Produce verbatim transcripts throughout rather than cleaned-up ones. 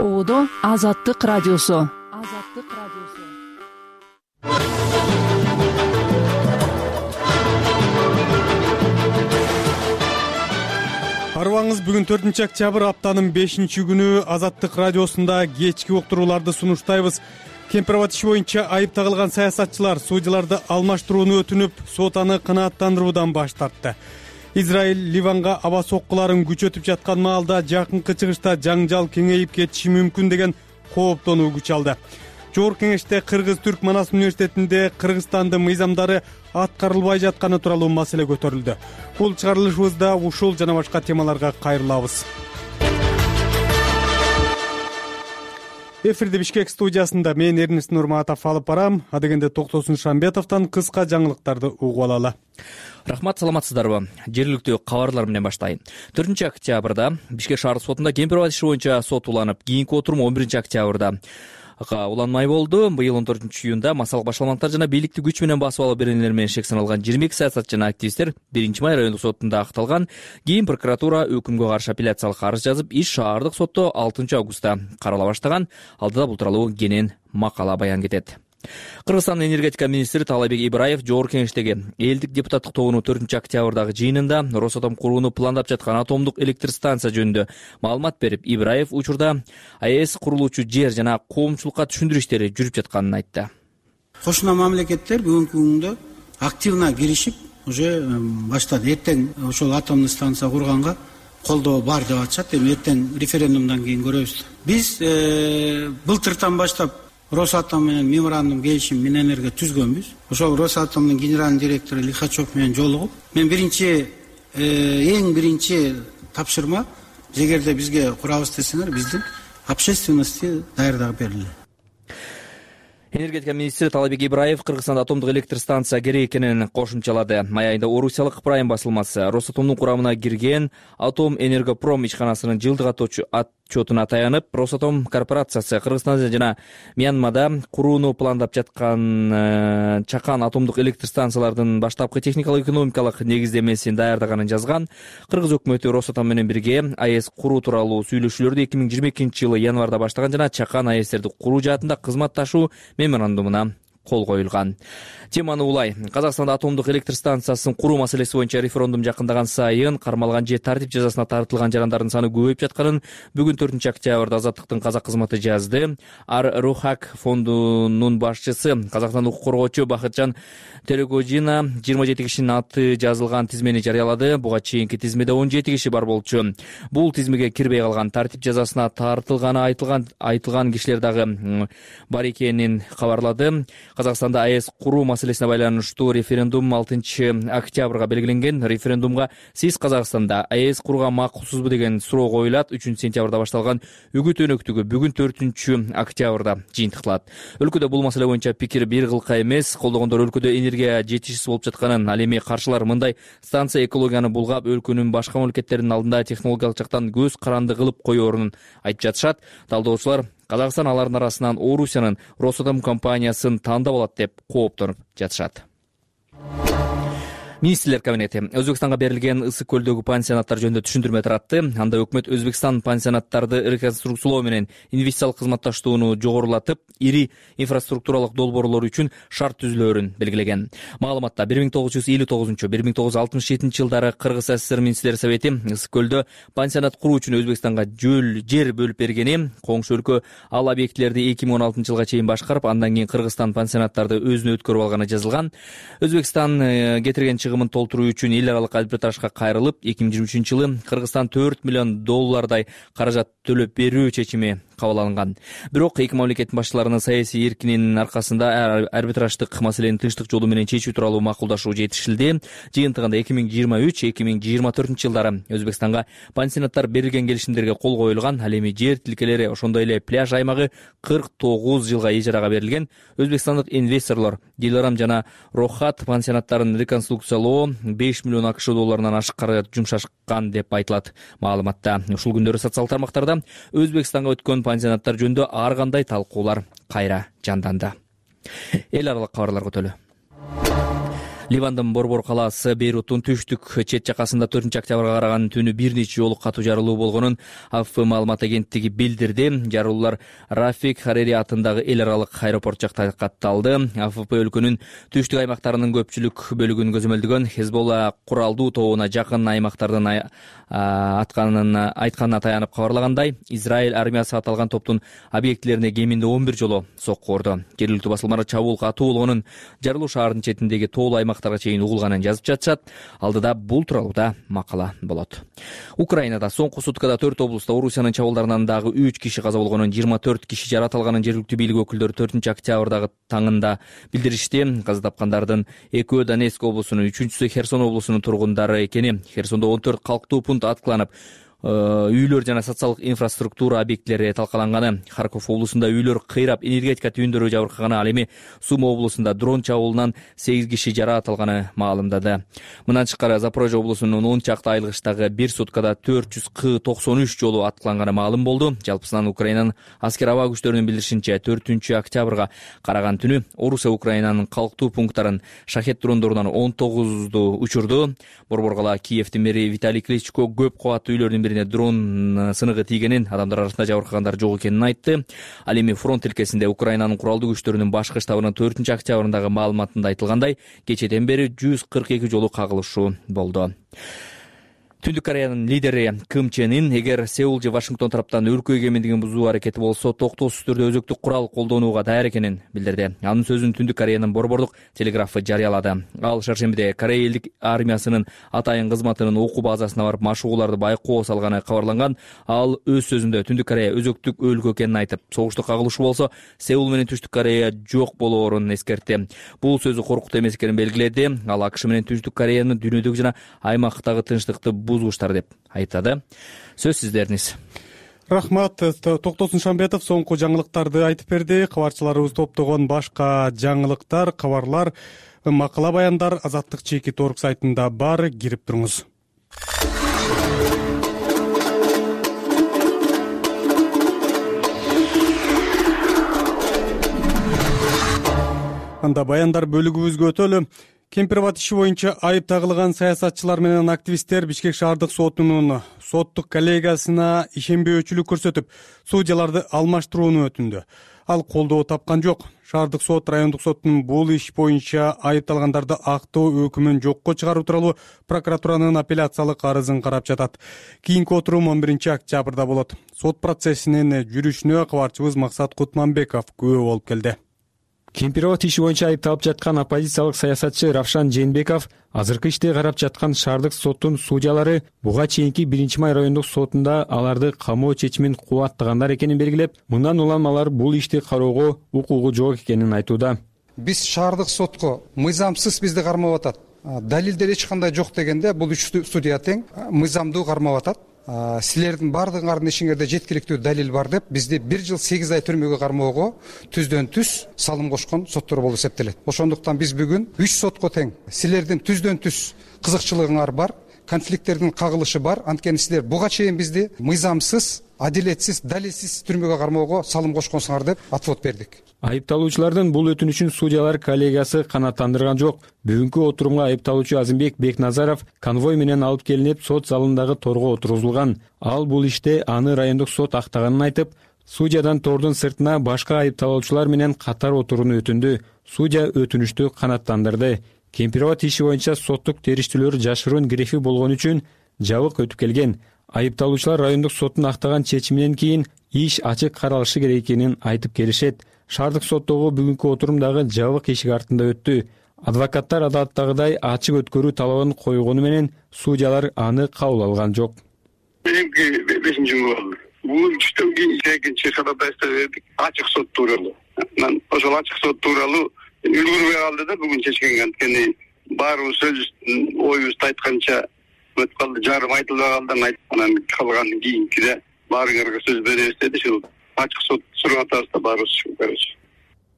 Оодо Азаттык радиосу. Азаттык радиосу. Арыбаңыз, бүгүн төртүнчү октябрь, аптанын бешинчи күнү Азаттык радиосунда кечки уктурууларды сунуштайбыз. Кемпирабад иши боюнча айып тагылган саясатчылар судьяларды алмаштырууну өтүнүп, сот аны канааттандыруудан баш тартты. Израиль Ливанга аба соккуларын күчөтүп жаткан маалда жакынкы чыгышта жаңжал кеңейип кетиши мүмкүн деген кооптонуу күч алды. Жогорку кеңеште Кыргыз-Түрк Манас университетинде Кыргызстандын мыйзамдары аткарылбай жатканы тууралуу маселе көтөрүлдү. Бул чыгарылышыбызда ушул жана башка темаларга кайрылабыз. Эфирде Бишкек студиясында мен Эрнест Нурматов алып барам. Адегенде Токтосун Шамбетовдон кыска жаңылыктарды угуп алалы. Рахмат, саламатсыздарбы? Жергиликтүү кабарлар менен баштайм. төртүнчү октябрда Бишкек шаардык сотунда Кемпирабад иши боюнча сот уланып, кийинки отурум он биринчи октябрда уланмай болду. Быйыл он төртүнчү июнда массалык башаламаттар жана бийликти күч менен басып алуу беренелери менен шек саналган жыйырма эки саясатчы жана активисттер биринчи май райондук сотунда акталган. Кийин прокуратура өкүмгө каршы апелляциялык арыз жазып, иш шаардык сотто алтынчы августта карала баштаган. Алдыда бул тууралуу кенен макала баян кетет. Кыргызстандын энергетика министри Таалайбек Ибраев жогорку кеңештеги элдик депутаттык тобунун төртүнчү октябрдагы жыйынында Росатом курууну пландап жаткан атомдук электр станция жөнүндө маалымат берип, Ибраев учурда АЭС курулуучу жер жана коомчулукка түшүндүрүү иштери жүрүп жатканын айтты. Кошуна мамлекеттер бүгүнкү күндө активно киришип, уже баштады. Эртең ошол атомдук станция курганга колдоо бар деп атышат. Эми эртең референдумдан кийин көрөбүз. Биз былтыртан баштап Росатом менен меморандум келишим Минэнерго түзгөнбүз. Ошол Росатомдун генеральный директору Лихачев менен жолугуп, мен биринчи эң биринчи тапшырма, эгерде бизге курабыз десеңер, биздин общественности даярдап берилди. Энергетика министри Таалайбек Ибраев Кыргызстанда атомдук электр станция керек экенин кошумчалады. Май айында Орусиялык Прайм басылмасы Росатомдун курамына кирген Атом Энергопром ишканасынын жылдык отчетуна таянып, Росатом корпорациясы Кыргызстанда жана Мьянмада курууну пландап жаткан чакан атомдук электр станциялардын баштапкы техникалык экономикалык негиздемесин даярдаганын жазган. Кыргыз өкмөтү Росатом менен бирге АЭС куруу тууралуу сүйлөшүүлөрдү эки миң жыйырма экинчи жылы январда баштаган жана чакан АЭСтерди куруу жаатында кызматташуу меморандумуна кол коюлган. Теманы улай. Казакстанда атомдук электр станциясын куруу маселеси боюнча референдум жакындаган сайын кармалган же тартип жазасына тартылган жарандардын саны көбөйүп жатканын бүгүн төртүнчү октябрда Азаттыктын казак кызматы жазды. Ар-Рухак фондунун башчысы, Казакстандык укук коргоочу Бакытжан Телегожина жыйырма жети кишинин аты жазылган тизмени жарыялады. Буга чейинки тизмеде он жети киши бар болчу. Бул тизмеге кирбей калган, тартип жазасына тартылганы айтылган айтылган кишилер дагы бар экенин кабарлады. Казакстанда АЭС куруу маселесине байланыштуу референдум алтынчы октябрга белгиленген. Референдумга сиз Казакстанда АЭС курууга макулсузбу деген суроо коюлат. үчүнчү сентябрда башталган үгүт өнөктүгү бүгүн төртүнчү октябрда жыйынтыкталат. Өлкөдө бул маселе боюнча пикир бир кылка эмес. Колдогондор өлкөдө энергия жетишсиз болуп жатканын, ал эми каршылар мындай станция экологияны булгап, өлкөнүн башка мамлекеттердин алдында технологиялык жактан көз каранды кылып коюорун айтып жатышат. Талдоочулар Казакстан алардын арасынан Орусиянын Росатом компаниясын тандап алат деп кооптонуп жатышат. Министрлер кабинети Өзбекстанга берилген Ысык көлдөгү пансионаттар жөнүндө түшүндүрмө таратты. Анда өкмөт Өзбекстан пансионаттарды реконструкциялоо менен инвестициялык кызматташтууну жогорулатып, ири инфраструктуралык долбоорлор үчүн шарт түзүлөөрүн белгилеген. Маалыматта бир миң тогуз жүз элүү тогузунчу — бир миң тогуз жүз алтымыш жетинчи жылдары Кыргыз СССР министрлер совети Ысык көлдө пансионат куруу үчүн Өзбекстанга жер бөлүп бергени, коңшу өлкө ал объектилерди эки миң он алтынчы жылга чейин башкарып, андан кийин Кыргызстан пансионаттарды өзүнө өткөрүп алганы жазылган. Өзбекстан кетирген чыгымын толтуруу үчүн эл аралык арбитражга кайрылып, эки миң жыйырма үчүнчү жылы Кыргызстан төрт миллион доллардай каражат төлөп берүү чечими кабыл алынган. Бирок эки мамлекеттин башчыларынын саясий эркинин аркасында арбитраждык маселени тынчтык жолу менен чечүү тууралуу макулдашуу жетишилди. Жыйынтыгында эки миң жыйырма үч — эки миң жыйырма төртүнчү жылдары Өзбекстанга пансионаттар берилген келишимдерге кол коюлган. Ал эми жер тилкелери, ошондой эле пляж аймагы кырк тогуз жылга ижарага берилген. Өзбекстандык инвесторлор Диларам жана Рохат пансионаттарын реконструкциялоо беш миллион акш долларынан ашык каражат жумшашкан деп айтылат маалыматта. Ушул күндөрү социалдык тармактарда Өзбекстанга өткөн пансионаттар жөнүндө ар кандай талкуулар кайра жанданды. Эл аралык кабарлар көтөлү. Ливандын Борбор калаасы Бейруттун түштүк чет жакасында төртүнчү октябрга караган түнү бир нече жолу катуу жарылуу болгонун АФП маалымат агенттиги билдирди. Жарылуулар Рафик Харири атындагы эл аралык аэропорт жакта катталды. АФП өлкөнүн түштүк аймактарынын көпчүлүк бөлүгүн көзөмөлдөгөн Хезболла куралдуу тобуна жакын аймактардын атканын айтканына таянып кабарлагандай, Израиль армиясы аталган топтун объектилерине кеминде он бир жолу сокку урду. Жергиликтүү басылмалар чабуул катуу болгонун, жарылуу шаардын четиндеги тоолуу аймактарга чейин угулганын жазып жатышат. Алдыда бул тууралуу да макала болот. Украинада соңку суткада төрт облустта Орусиянын чабуулдарынан дагы үч киши каза болгонун, жыйырма төрт киши жаратылганын жергиликтүү бийлик өкүлдөрү төртүнчү октябрдагы таңында билдиришти. Каза тапкандардын экөө Донецк облусунун, үчүнчүсү Херсон облусунун тургундары экени, Херсондо он төрт калктуу пункт аткыланып, үйлөр жана социалдык инфраструктура объектилери талкаланганы, Харков облусунда үйлөр кыйрап, энергетика түйүндөрү жабыркаганы, ал эми Сума облусунда дрон чабуулунан сегиз киши жаратылганы маалымдады. Мындан тышкары Запорожье облусунун он чакты айлыгычтагы бир суткада төрт жүз К токсон үч жолу аткыланганы маалым болду. Жалпысынан Украинанын аскер аба күчтөрүнүн билдиришинче, төртүнчү октябрга караган түнү Орусия Украинанын калктуу пункттарын шахет дрондорунан он тогузду учурду. Борбор кала Киевдин мэри Виталий Кличко көп кабаттуу үйлөрдүн бирине дрон сыныгы тийгенин, адамдар арасында жабыркагандар жок экенин айтты. Ал эми фронт тилкесинде Украинанын куралдуу күчтөрүнүн башкы штабынын төртүнчү октябрындагы маалыматында айтылгандай, кечеден бери жүз кырк эки жолу кагылышуу болду. Түндүк Кореянын лидери Ким Чен Ын эгер Сеул же Вашингтон тараптан өлкө эгемендигин бузуу аракети болсо, токтоосуз түрдө өзөктүк курал колдонууга даяр экенин билдирди. Анын сөзүн Түндүк Кореянын борбордук телеграфы жарыялады. Ал шаршембиде Корея элдик армиясынын атайын кызматынын окуу базасына барып машыгууларды байкоо салганы кабарланган. Ал өз сөзүндө Түндүк Корея өзөктүк өлкө экенин айтып, согушту кагылышуу болсо Сеул менен Түштүк Корея жок болоорун эскертти. Бул сөзү коркутуу эмес экенин белгиледи. Ал АКШ менен Түштүк Кореяны дүйнөдөгү жана аймактагы тынчтыкты бузгучтар деп айтады. Сөз сиздериңиз. Рахмат. Токтосун Шамбетов соңку жаңылыктарды айтып берди. Кабарчыларыбыз топтогон башка жаңылыктар, кабарлар, макала баяндар Азаттык чекит орг сайтында бар, кирип туруңуз. Анда баяндар бөлүгүбүзгө өтөлү. Кемпирабад иши боюнча айып тагылган саясатчылар менен активисттер Бишкек шаардык сотунун соттук коллегиясына ишенбөөчүлүк көрсөтүп, судьяларды алмаштырууну өтүндү. Ал колдоо тапкан жок. Шаардык сот, райондук соттун бул иш боюнча айыпталгандарды актоо өкүмүн жокко чыгаруу тууралуу прокуратуранын апелляциялык арызын карап жатат. Кийинки отурум он биринчи октябрда болот. Сот процессинин жүрүшүнө кабарчыбыз Максат Кутманбеков күбө болуп келди. Кемпирабад иши боюнча айыпталып жаткан оппозициялык саясатчы Равшан Жээнбеков азыркы ишти карап жаткан шаардык соттун судьялары буга чейинки биринчи май райондук сотунда аларды камоо чечимин кубаттагандар экенин белгилеп, мындан улам алар бул ишти кароого укугу жок экенин айтууда. Биз шаардык сотко мыйзамсыз бизди кармап атат. Далилдер эч кандай жок дегенде бул үч судья тең мыйзамдуу кармап атат. Силердин бардыгыңардын ишиңерде жеткиликтүү далил бар деп бизди бир жыл сегиз ай түрмөгө кармоого түздөн түз салым кошкон соттор болуп эсептелет. Ошондуктан биз бүгүн үч сотко тең силердин түздөн түз кызыкчылыгыңар бар, конфликттердин кагылышы бар. Анткени силер буга чейин бизди мыйзамсыз, адилетсиз, далилсиз түрмөгө кармоого салым кошконсуңар деп отвод бердик. Айыпталуучулардын бул өтүнүчүн судьялар коллегиясы канааттандырган жок. Бүгүнкү отурумга айыпталуучу Азимбек Бекназаров конвой менен алып келинип, сот залындагы торго отургузулган. Ал бул иште аны райондук сот актаганын айтып, судьядан тордун сыртына башка айыпталуучулар менен катар отурууну өтүндү. Судья өтүнүштү канааттандырды. Кемпирабад иши боюнча соттук териштүүлөр жашыруун грефи болгон үчүн жабык өтүп келген. Айыпталуучулар райондук соттун актаган чечиминен кийин иш ачык каралышы керек экенин айтып келишет. Шаардык соттогу бүгүнкү отурумдагы жабык эшик артында өттү. Адвокаттар адаттагыдай ачык өткөрүү талабын койгону менен судьялар аны кабыл алган жок. Меники бешинчи жыл болду. Бул түштөн кийин экинчи ходатайство бердик. Ачык сот тууралуу. Мен ошол ачык сот тууралуу үлгүрбөй калды да бүгүн чечкен. Анткени баарыбыз сөзүбүздүн оюбузду айтканча өтүп калды. Жарым айтылбай калды. Анан калган кийинкиде баарыңарга сөз беребиз деди. Ушул ачык сот сурап атабыз да баарыбыз, короче.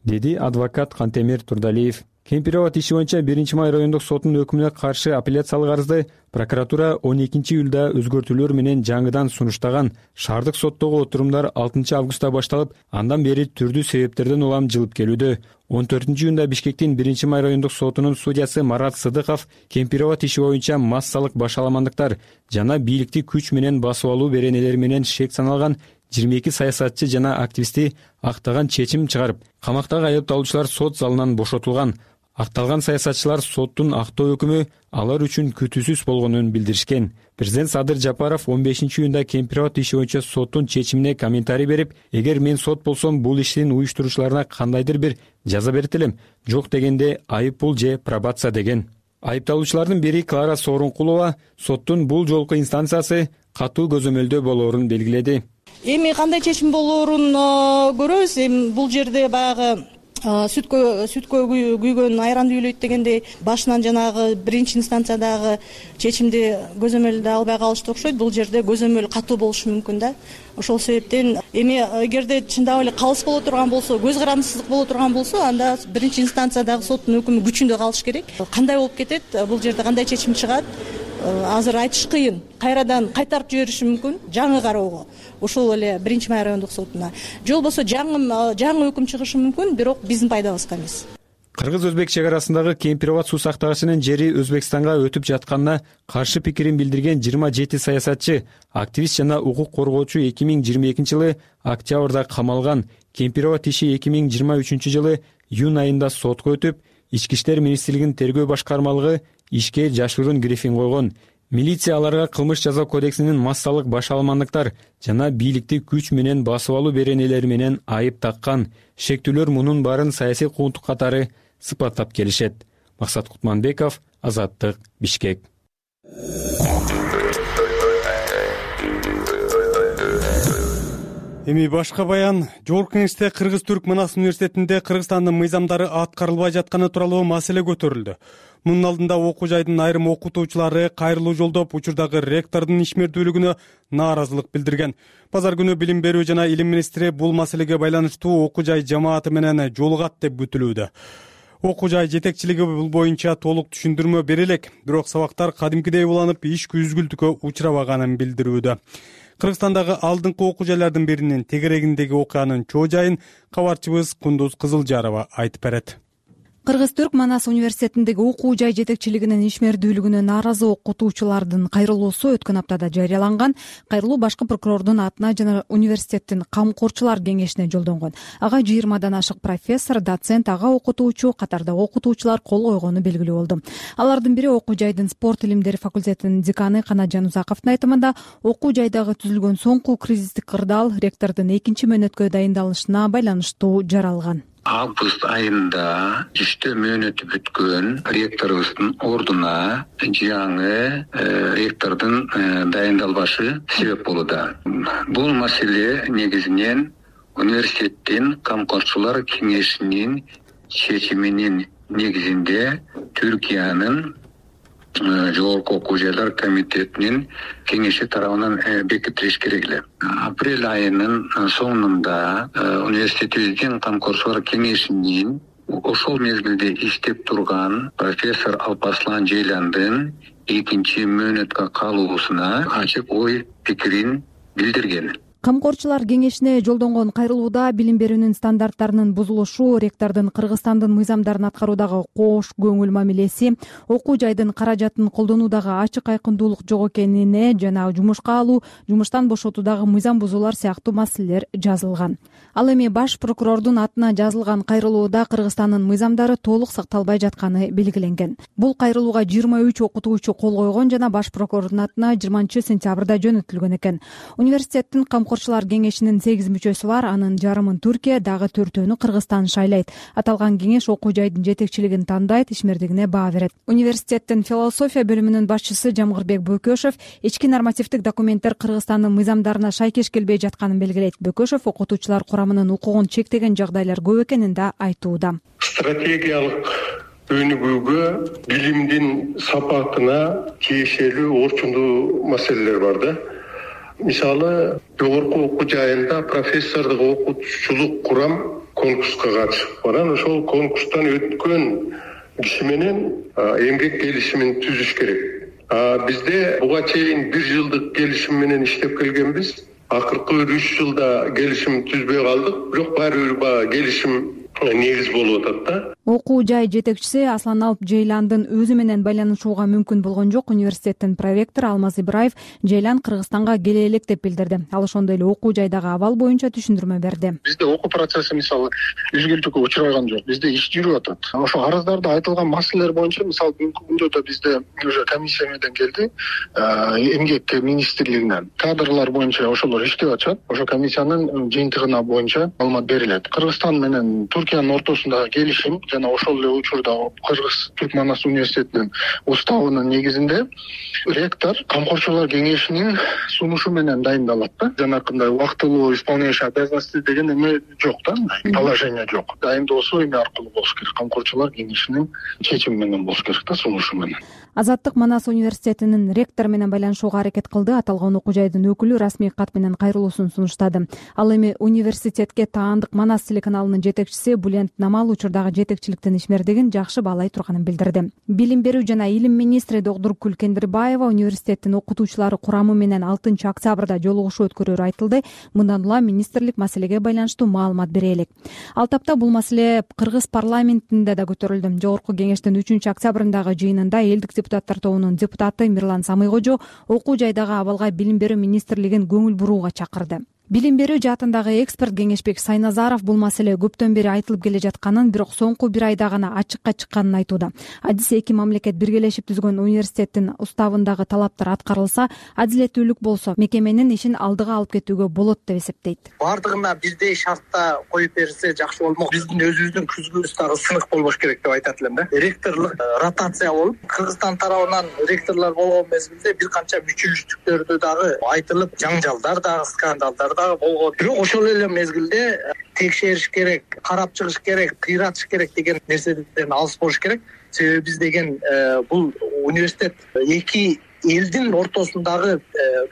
Деди адвокат Кантемир Турдалиев. Кемпирова иши боюнча биринчи май райондук сотунун өкүмүнө каршы апелляциялык арызды прокуратура он экинчи июлда өзгөртүүлөр менен жаңыдан сунуштаган. Шаардык соттогу отурумдар алтынчы августта башталып, андан бери түрдүү себептерден улам жылып келүүдө. он төртүнчү июнда Бишкектин биринчи май райондук сотунун судьясы Марат Сыдыков Кемпирова иши боюнча массалык башаламандыктар жана бийликти күч менен басып алуу беренелери менен шек саналган жыйырма эки саясатчы жана активистти актаган чечим чыгарып, камактагы айыпталуучулар сот залынан бошотулган. Акталган саясатчылар соттун актоо өкүмү алар үчүн күтүүсүз болгонун билдиришкен. Президент Садыр Жапаров он бешинчи июнда Кемпирова иши боюнча соттун чечимине комментарий берип, эгер мен сот болсом бул иштин уюштуруучуларына кандайдыр бир жаза берет элем, жок дегенде айып пул же пробация деген. Айыпталуучулардын бири Клара Сооронкулова соттун бул жолку инстанциясы катуу көзөмөлдөө болоорун белгиледи. Эми кандай чечим болоорун көрөбүз. Эми бул жерде баягы сүткө сүткө күйгөн айранды үйлөйт дегендей башынан жанагы биринчи инстанциядагы чечимди көзөмөлдө албай калышты окшойт. Бул жерде көзөмөл катуу болушу мүмкүн да. Ошол себептен эми эгерде чындап эле калыс боло турган болсо, көз карандысыздык боло турган болсо, анда биринчи инстанциядагы соттун өкүмү күчүндө калыш керек. Кандай болуп кетет, бул жерде кандай чечим чыгат, азыр айтыш кыйын. Кайрадан кайтарып жибериши мүмкүн жаңы кароого. Ошол эле биринчи май райондук сотуна. Же болбосо жаңы жаңы өкүм чыгышы мүмкүн, бирок биздин пайдабызга эмес. Кыргыз-Өзбек чек арасындагы Кемпирова суу сактагычынын жери Өзбекстанга өтүп жатканына каршы пикирин билдирген жыйырма жети саясатчы, активист жана укук коргоочу эки миң жыйырма экинчи жылы октябрда камалган. Кемпирова иши эки миң жыйырма үчүнчү жылы июнь айында сотко өтүп, Ички иштер министрлигинин тергөө башкармалыгы ишке жашыруун грифин койгон. Милиция аларга кылмыш жаза кодексинин массалык башаламандыктар жана бийликти күч менен басып алуу беренелери менен айып таккан. Шектүүлөр мунун баарын саясий куугунтук катары сыпаттап келишет. Максат Кутманбеков, Азаттык, Бишкек. Эми башка баян. Жогорку Кеңеште Кыргыз-Түрк Манас университетинде Кыргызстандын мыйзамдары аткарылбай жатканы тууралуу маселе көтөрүлдү. Мунун алдында окуу жайдын айрым окутуучулары кайрылуу жолдоп, учурдагы ректордун ишмердүүлүгүнө нааразылык билдирген. Базар күнү Билим берүү жана Илим министри бул маселеге байланыштуу окуу жай жамааты менен жолугат деп күтүлүүдө. Окуу жай жетекчилиги бул боюнча толук түшүндүрмө бере элек, бирок сабактар кадимкидей уланып, иш күзгүлтүккө учурабаганын билдирүүдө. Кыргызстандагы алдыңкы окуу жайлардын биринин тегерегиндеги окуянын чоо жайын кабарчыбыз Кундуз Кызылжарова айтып берет. Кыргыз-Түрк Манас университетиндеги окуу жай жетекчилигинин ишмердүүлүгүнө нааразы окутуучулардын кайрылуусу өткөн аптада жарыяланган. Кайрылуу башкы прокурордун атына жана университеттин камкорчулар кеңешине жолдонгон. Ага жыйырмадан ашык профессор, доцент, ага окутуучу катарда окутуучулар кол койгону белгилүү болду. Алардын бири окуу жайдын спорт илимдери факультетинин деканы Канатжан Узаковдун айтымында, окуу жайдагы түзүлгөн соңку кризистик кырдаал ректордун экинчи мөөнөткө дайындалышына байланыштуу жаралган. Август айында иштөө мөөнөтү бүткөн ректорубуздун ордуна жаңы ректордун дайындалбашы себеп болууда. Бул маселе негизинен университеттин камкорчулар кеңешинин чечиминин негизинде Түркиянын жогорку окуу жайлар комитетинин кеңеши тарабынан бекитилиш керек эле. Апрель айынын соңунда университетибиздин камкорчулар кеңешинин ошол мезгилде иштеп турган профессор Алпаслан Жейландын экинчи мөөнөткө калуусуна ачык ой пикирин билдирген. Камкорчулар кеңешине жолдонгон кайрылууда билим берүүнүн стандарттарынын бузулушу, ректордун Кыргызстандын мыйзамдарын аткаруудагы кош көңүл мамилеси, окуу жайдын каражатын колдонуудагы ачык айкындуулук жок экенине жана жумушка алуу, жумуштан бошотуудагы мыйзам бузуулар сыяктуу маселелер жазылган. Ал эми баш прокурордун атына жазылган кайрылууда Кыргызстандын мыйзамдары толук сакталбай жатканы белгиленген. Бул кайрылууга жыйырма үч окутуучу кол койгон жана баш прокурордун атына жыйырманчы сентябрда жөнөтүлгөн экен. Университеттин Камкорчулар кеңешинин сегиз мүчөсү бар, анын жарымын Түркия, дагы төртөөнү Кыргызстан шайлайт. Аталган кеңеш окуу жайдын жетекчилигин тандайт, ишмердигине баа берет. Университеттин философия бөлүмүнүн башчысы Жамгырбек Бөкөшев ички нормативдик документтер Кыргызстандын мыйзамдарына шайкеш келбей жатканын белгилейт. Бөкөшев окутуучулар курамынын укугун чектеген жагдайлар көп экенин да айтууда. Стратегиялык өнүгүүгө, билимдин сапатына тиешелүү орчундуу маселелер бар да. Мисалы, жогорку окуу жайында профессордук окутуучулук курам конкурска катышып баран, ошол конкурстан өткөн киши менен эмгек келишимин түзүш керек. Бизде буга чейин бир жылдык келишим менен иштеп келгенбиз. Акыркы бир үч жылда келишим түзбөй калдык, бирок баары бир баягы келишим негиз болуп атат да. Окуу жай жетекчиси Аслан Алп Жейландын өзү менен байланышууга мүмкүн болгон жок. Университеттин проректору Алмаз Ибраев Жейлан Кыргызстанга келе элек деп билдирди. Ал ошондой эле окуу жайдагы абал боюнча түшүндүрмө берди. Бизде окуу процесси мисалы үзгүлтүккө учураган жок. Бизде иш жүрүп атат. Ошо арыздарда айтылган маселелер боюнча мисалы бүгүнкү күндө да бизде уже комиссия менен келди, эмгек министрлигинен кадрлар боюнча ошолор иштеп атышат. Ошо комиссиянын жыйынтыгына боюнча маалымат берилет. Кыргызстан менен Түркиянын ортосундагы келишим жана ошол эле учурда Кыргыз Түркманас университетинин уставынын негизинде ректор камкорчулар кеңешинин сунушу менен дайындалат да. Жанакындай убактылуу исполняющий обязанности деген эме жок да, положение жок. Дайындоосу эме аркылуу болуш керек, камкорчулар кеңешинин чечими менен болуш керек да, сунушу менен. Азаттык Манас университетинин ректору менен байланышууга аракет кылды. Аталган окуу жайдын өкүлү расмий кат менен кайрылуусун сунуштады. Ал эми университетке таандык Манас телеканалынын жетекчиси Булент Намал учурдагы жетекчиликтин ишмердигин жакшы баалай турганын билдирди. Билим берүү жана илим министри Догдур Күлкендирбаева университеттин окутуучулары курамы менен алтынчы октябрда жолугушуу өткөрөөрү айтылды. Мындан улам министрлик маселеге байланыштуу маалымат бере элек. Ал тапта бул маселе Кыргыз парламентинде да көтөрүлдү. Жогорку кеңештин үчүнчү октябрындагы жыйынында элдик депутаттар тобунун депутаты Мирлан Самыйкожо окуу жайдагы абалга билим берүү министрлигин көңүл бурууга чакырды. Билим берүү жаатындагы эксперт Кеңешбек Сайназаров бул маселе көптөн бери айтылып келе жатканын, бирок соңку бир айда гана ачыкка чыкканын айтууда. Адис эки мамлекет биргелешип түзгөн университеттин уставындагы талаптар аткарылса, адилеттүүлүк болсо, мекеменин ишин алдыга алып кетүүгө болот деп эсептейт. Бардыгына бирдей шартта коюп берилсе жакшы болмок. Биздин өзүбүздүн күзгүбүз дагы сынык болбош керек деп айтат элем да. Ректорлук ротация болуп, Кыргызстан тарабынан ректорлор болгон мезгилде бир канча мүчүлүштүктөрдү дагы айтылып, жаңжалдар дагы, скандалдар болгон. Бирок ошол эле мезгилде текшериш керек, карап чыгыш керек, кыйратыш керек деген нерседен алыс болуш керек. Себеби биз деген бул университет эки элдин ортосундагы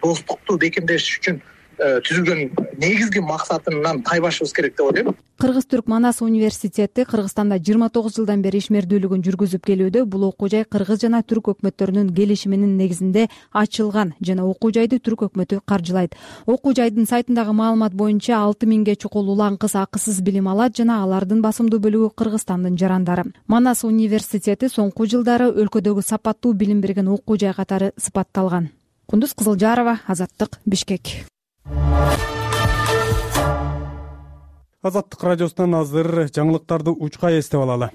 достукту бекемдеш үчүн түзүлгөн негизги максатынан тайбашыбыз керек деп ойлойм. Кыргыз-Түрк Манас университети Кыргызстанда жыйырма тогуз жылдан бери ишмердүүлүгүн жүргүзүп келүүдө. Бул окуу жай Кыргыз жана Түрк өкмөттөрүнүн келишиминин негизинде ачылган жана окуу жайды Түрк өкмөтү каржылайт. Окуу жайдын сайтындагы маалымат боюнча алты миңге чукул улан кыз акысыз билим алат жана алардын басымдуу бөлүгү Кыргызстандын жарандары. Манас университети соңку жылдары өлкөдөгү сапаттуу билим берген окуу жай катары сыпатталган. Кундуз Кызылжарова, Азаттык, Бишкек. Азаттык радиосунан азыр жаңылыктарды учка эстеп алалы.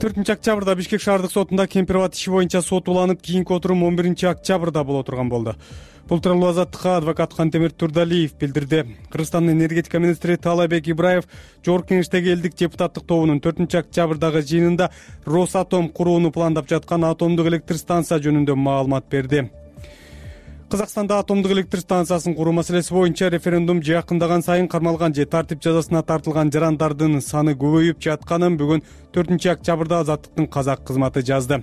төртүнчү октябрда Бишкек шаардык сотунда Кемпирабад иши боюнча сот уланып, кийинки отурум он биринчи октябрда боло турган болду. Бул тууралуу Азаттыкка адвокат Кантемир Турдалиев билдирди. Кыргызстандын энергетика министри Таалайбек Ибраев жогорку кеңештеги элдик депутаттык тобунун төртүнчү октябрдагы жыйынында Росатом курууну пландап жаткан атомдук электр станция жөнүндө маалымат берди. Казакстанда атомдук электр станциясын куруу маселеси боюнча референдум жакындаган сайын кармалган же тартип жазасына тартылган жарандардын саны көбөйүп жатканын бүгүн төртүнчү октябрда Азаттыктын казак кызматы жазды.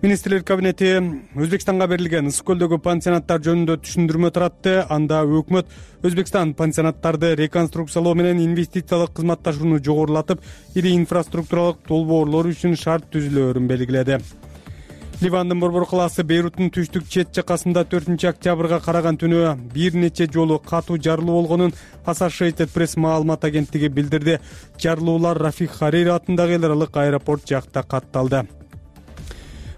Министрлер кабинети Өзбекстанга берилген Ысык көлдөгү пансионаттар жөнүндө түшүндүрмө таратты. Анда өкмөт Өзбекстан пансионаттарды реконструкциялоо менен инвестициялык кызматташууну жогорулатып, ири инфраструктуралык долбоорлор үчүн шарт түзүлөөрүн белгиледи. Ливандын Борбор калаасы Бейруттун түштүк чет жакасында төртүнчү октябрга караган түнү бир нече жолу катуу жарылуу болгонун Associated Press маалымат агенттиги билдирди. Жарылуулар Рафих Харири атындагы эл аралык аэропорт жакта катталды.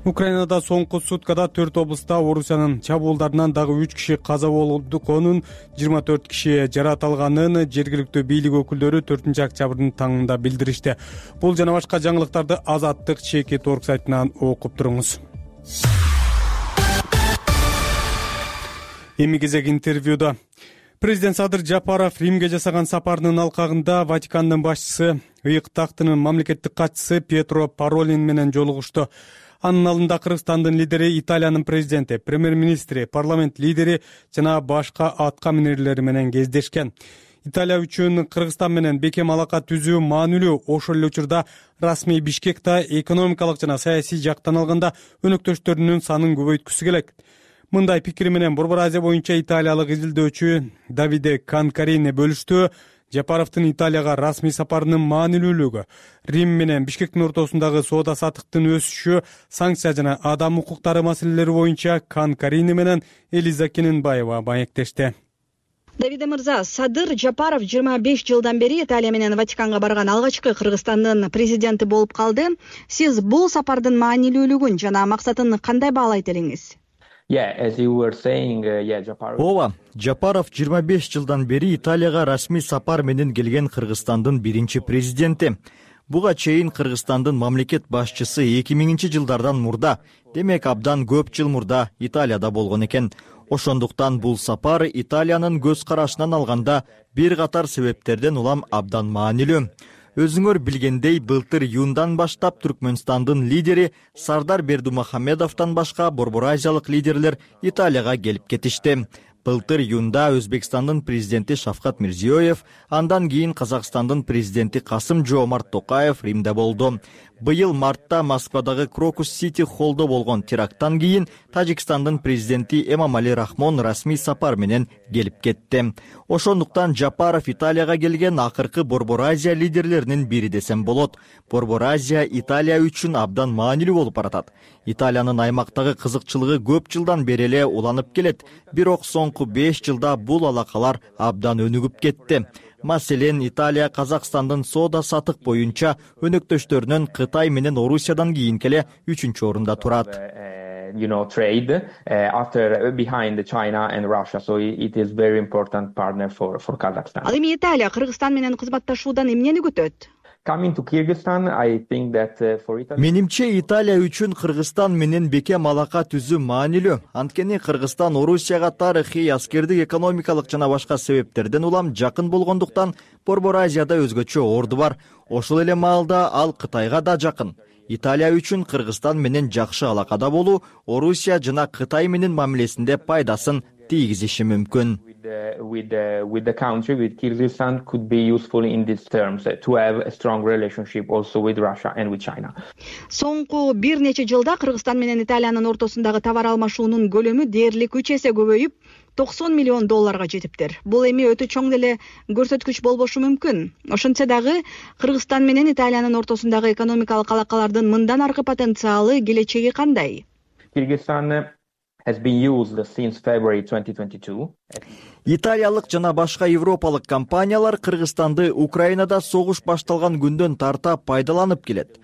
Украинада соңку суткада төрт облуста Орусиянын чабуулдарынан дагы үч киши каза болгонун, жыйырма төрт киши жаракат алганын жергиликтүү бийлик өкүлдөрү төртүнчү октябрдын таңында билдиришти. Бул жана башка жаңылыктарды Азаттык чекит орг сайтынан окуп туруңуз. Эми кезек интервьюда. Президент Садыр Жапаров Римге жасаган сапарынын алкагында Ватикандын башчысы, ыйык тактынын мамлекеттик катчысы Пьетро Паролин менен жолугушту. Анын алдында Кыргызстандын лидери, Италиянын президенти, премьер-министри, парламент лидери жана башка атка минерлери менен кездешкен. Италия үчүн Кыргызстан менен бекем алака түзүү маанилүү. Ошол эле учурда расмий Бишкекте экономикалык жана саясий жактан алганда өнөктөштөрүнүн санын көбөйткүсү келет. Мындай пикири менен Борбор Азия боюнча италиялык изилдөөчү Давиде Канкарини бөлүштү. Жапаровдун Италияга расмий сапарынын маанилүүлүгү, Рим менен Бишкектин ортосундагы соода саттыктын өсүшү, санкция жана адам укуктары маселелери боюнча Канкарини менен Элиза Кененбаева маектешти. Давиде мырза, Садыр Жапаров жыйырма беш жылдан бери Италия менен Ватиканга барган алгачкы Кыргызстандын президенти болуп калды. Сиз бул сапардын маанилүүлүгүн жана максатын кандай баалайт элеңиз? Ооба, Жапаров жыйырма беш жылдан бери Италияга расмий сапар менен келген Кыргызстандын биринчи президенти. Буга чейин Кыргызстандын мамлекет башчысы эки миңинчи жылдардан мурда, демек абдан көп жыл мурда Италияда болгон экен. Ошондуктан бул сапар Италиянын көз карашынан алганда бир катар себептерден улам абдан маанилүү. Өзүңөр билгендей, былтыр июндан баштап Түркмөнстандын лидери Сардар Бердумухамедовдон башка борбор-азиялык лидерлер Италияга келип кетишти. Былтыр июнда Өзбекстандын президенти Шавкат Мирзиёев, андан кийин Казакстандын президенти Касым-Жомарт Токаев Римде болду. Быйыл мартта Москвадагы Крокус Сити холлдо болгон теракттан кийин Тажикстандын президенти Эмомали Рахмон расмий сапар менен келип кетти. Ошондуктан Жапаров Италияга келген акыркы Борбор-Азия лидерлеринин бири десем болот. Борбор-Азия Италия үчүн абдан маанилүү болуп баратат. Италиянын аймактагы кызыкчылыгы көп жылдан бери эле уланып келет. Бирок соңку беш жылда бул алакалар абдан өнүгүп кетти. Маселен, Италия Казакстандын соода сатык боюнча өнөктөштөрүнөн Кытай менен Орусиядан кийинки эле үчүнчү орунда турат. You know, trade uh, after behind China and Russia, so it is very important partner for for Kazakhstan. Ал эми Италия Кыргызстан менен кызматташуудан эмнени күтөт? Coming to Kyrgyzstan, I think that uh, for Italy. Менимче Италия үчүн Кыргызстан менен бекем алака түзүү маанилүү. Анткени Кыргызстан Орусияга тарыхый, аскердик, экономикалык жана башка себептерден улам жакын болгондуктан Борбор-Азияда өзгөчө орду бар. Ошол эле маалда ал Кытайга да жакын. Италия үчүн Кыргызстан менен жакшы алакада болуу Орусия жана Кытай менен мамилесинде пайдасын тийгизиши мүмкүн. With the, with the country, with Kyrgyzstan, could be useful in these terms uh, to have a strong relationship also with Russia and with China. Соңку бир нече жылда Кыргызстан менен Италиянын ортосундагы товар алмашуунун көлөмү дээрлик үч эсе көбөйүп, токсон миллион долларга жетиптир. Бул эми өтө чоң деле көрсөткүч болбошу мүмкүн. Ошентсе дагы Кыргызстан менен Италиянын ортосундагы экономикалык алакалардын мындан аркы потенциалы, келечеги кандай? Kyrgyzstan has been used since February twenty twenty-two. Италиялык жана башка европалык компаниялар Кыргызстанды Украинада согуш башталган күндөн тарта пайдаланып келет.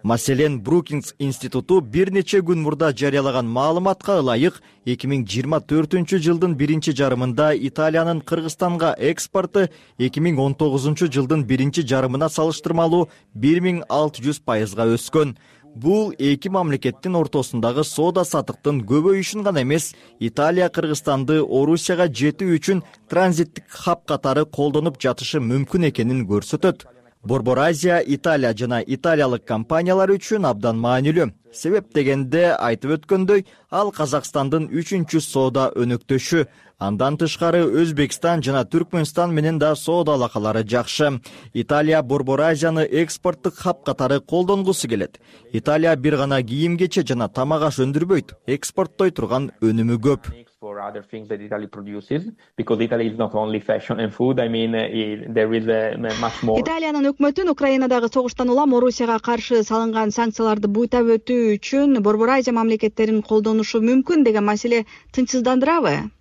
Маселен, Брукингс институту бир нече күн мурда жарыялаган маалыматка ылайык эки миң жыйырма төртүнчү жылдын биринчи жарымында Италиянын Кыргызстанга экспорту эки миң он тогузунчу жылдын биринчи жарымына салыштырмалуу бир миң алты жүз пайызга өскөн. Бул эки мамлекеттин ортосундагы соода сатыктын көбөйүшүн гана эмес, Италия Кыргызстанды Орусияга жетүү үчүн транзиттик хаб катары колдонуп жатышы мүмкүн экенин көрсөтөт. Борбор-Азия Италия жана италиялык компаниялар үчүн абдан маанилүү. Себеп дегенде, айтып өткөндөй, ал Казакстандын үчүнчү соода өнөктөшү. Андан тышкары Өзбекстан жана Түркмөнстан менен да соода алакалары жакшы. Италия Борбор-Азияны экспорттук хаб катары колдонгусу келет. Италия бир гана кийим-кече жана тамак-аш өндүрбөйт, экспорттой турган өнүмү көп. For other things that Italy produces, because Italy is not only fashion and food. I mean, uh, there is uh, much more. Италиянын өкмөтүн Украинадагы согуштан улам Орусияга каршы салынган санкцияларды буйтап өтүү үчүн Борбор-Азия мамлекеттерин колдонушу мүмкүн деген маселе тынчсыздандырабы?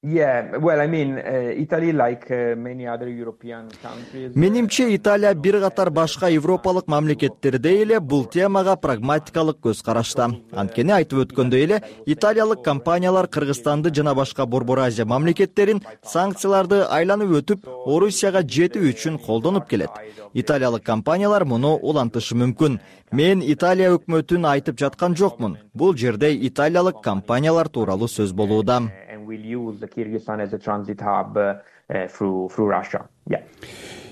Yeah, well, I mean, uh, Italy, like uh, many other European countries. Менимче Италия бир катар башка европалык мамлекеттердей эле бул темага прагматикалык көз карашта. Анткени айтып өткөндөй эле, италиялык компаниялар Кыргызстанды жана башка Борбор-Азия мамлекеттерин санкцияларды айланып өтүп, Орусияга жетүү үчүн колдонуп келет. Италиялык компаниялар муну улантышы мүмкүн. Мен Италия өкмөтүн айтып жаткан жокмун. Бул жерде италиялык компаниялар тууралуу сөз болууда. Will use the Kyrgyzstan as a transit hub uh, uh, through through Russia. Yeah.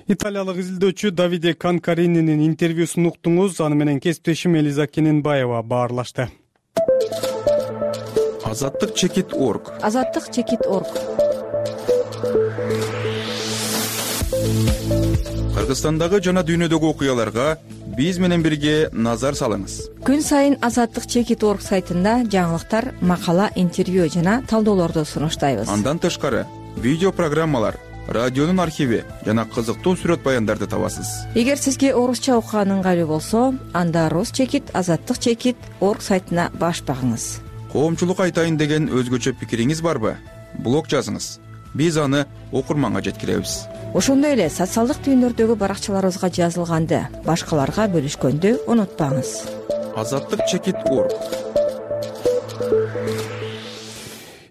Италиялык изилдөөчү Давиде Канкарининин интервьюсун уктуңуз. Аны менен кесиптешим Элиза Кененбаева баарлашты. Азаттык чекит орг. Азаттык чекит орг. Кыргызстандагы жана дүйнөдөгү окуяларга биз менен бирге назар салыңыз. Күн сайын Азаттык чекит орг сайтында жаңылыктар, макала, интервью жана талдоолорду сунуштайбыз. Андан тышкары видео программалар, радионун архиви жана кызыктуу сүрөт баяндарды табасыз. Эгер сизге орусча окуган ыңгайлуу болсо, анда рус чекит азаттык чекит орг сайтына баш багыңыз. Коомчулук айтайын деген өзгөчө пикириңиз барбы? Блог жазыңыз. Биз аны окурманга жеткиребиз. Ошондой эле социалдык түйүндөрдөгү баракчаларыбызга жазылганды башкаларга бөлүшкөндү унутпаңыз. азаттык чекит орг.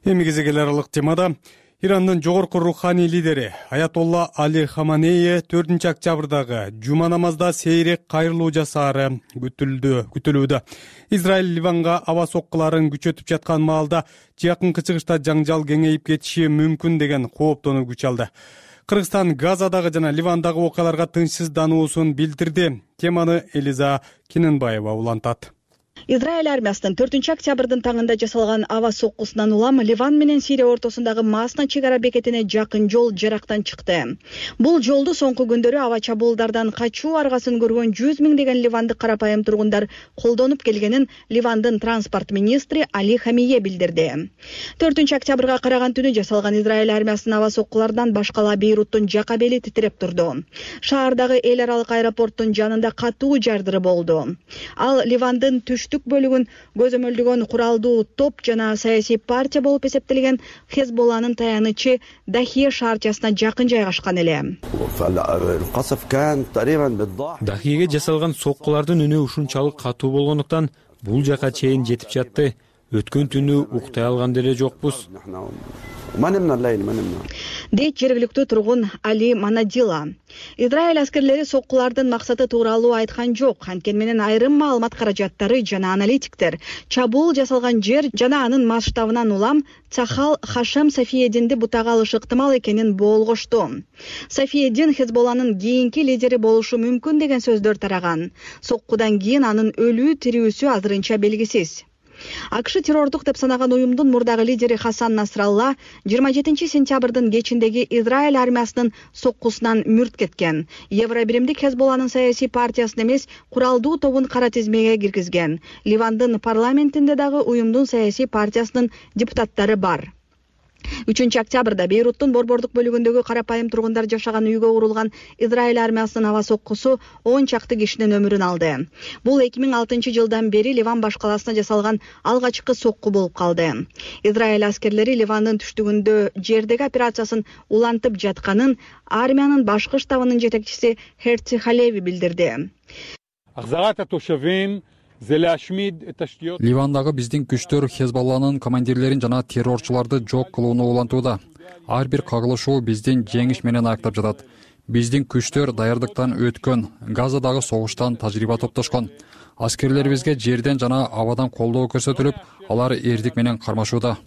Эми кезегел аралык темада Ирандын жогорку руханий лидери Аятолла Али Хаманеи төртүнчү октябрдагы жума намазда сейрек кайрылуу жасаары күтүлдү, күтүлүүдө. Израиль Ливанга аба соккуларын күчөтүп жаткан маалда жакынкы чыгышта жаңжал кеңейип кетиши мүмкүн деген кооптонуу күч алды. Кыргызстан Газадагы жана Ливандагы окуяларга тынчсыздануусун билдирди. Теманы Элиза Киненбаева улантат. Израиль армиясынын төртүнчү октябрдын таңында жасалган аба соккусунан улам Ливан менен Сирия ортосундагы Масна чек ара бекетине жакын жол жарактан чыкты. Бул жолду соңку күндөрү аба чабуулдардан качуу аргасын көргөн жүз миңдеген ливандык карапайым тургундар колдонуп келгенин Ливандын транспорт министри Али Хамие билдирди. төртүнчү октябрга караган түнү жасалган Израиль армиясынын аба соккуларынан башкала Бейруттун жака бели титиреп турду. Шаардагы эл аралык аэропорттун жанында катуу жардыры болду. Ал Ливандын түштүк бөлүгүн көзөмөлдөгөн куралдуу топ жана саясий партия болуп эсептелген Хезболланын таянычы Дахия шаарчасына жакын жайгашкан эле. Дахиеге жасалган соккулардын үнү ушунчалык катуу болгондуктан бул жака чейин жетип жатты. Өткөн түнү уктай алган деле жокпуз. Дейт жергиликтүү тургун Али Манадила. Израиль аскерлери соккулардын максаты тууралуу айткан жок, анткени менен айрым маалымат каражаттары жана аналитиктер чабуул жасалган жер жана анын масштабынан улам Цахал Хашем Сафиединди бутага алышы ыктымал экенин болгошту. Сафиедин Хезболланын кийинки лидери болушу мүмкүн деген сөздөр тараган. Соккудан кийин анын өлүү тирүүсү азырынча белгисиз. АКШ террордук деп санаган уюмдун мурдагы лидери Хасан Насралла жыйырма жетинчи сентябрдын кечиндеги Израиль армиясынын соккусунан мүрт кеткен. Евробиримдик Хезболланын саясий партиясын эмес, куралдуу тобун кара тизмеге киргизген. Ливандын парламентинде дагы уюмдун саясий партиясынын депутаттары бар. үчүнчү октябрда Бейруттун борбордук бөлүгүндөгү карапайым тургундар жашаган үйгө урулган Израиль армиясынын аба соккусу он чакты кишинин өмүрүн алды. Бул эки миң алтынчы жылдан бери Ливан башкаласына жасалган алгачкы сокку болуп калды. Израиль аскерлери Ливандын түштүгүндө жердеги операциясын улантып жатканын армиянын башкы штабынын жетекчиси Херци Халеви билдирди. Ливандагы биздин күчтөр Хезболланын командирлерин жана террорчуларды жок кылууну улантууда. Ар бир кагылышуу биздин жеңиш менен аяктап жатат. Биздин күчтөр даярдыктан өткөн, Газадагы согуштан тажрыйба топтошкон. Аскерлерибизге жерден жана абадан колдоо көрсөтүлүп, алар эрдик менен кармашууда.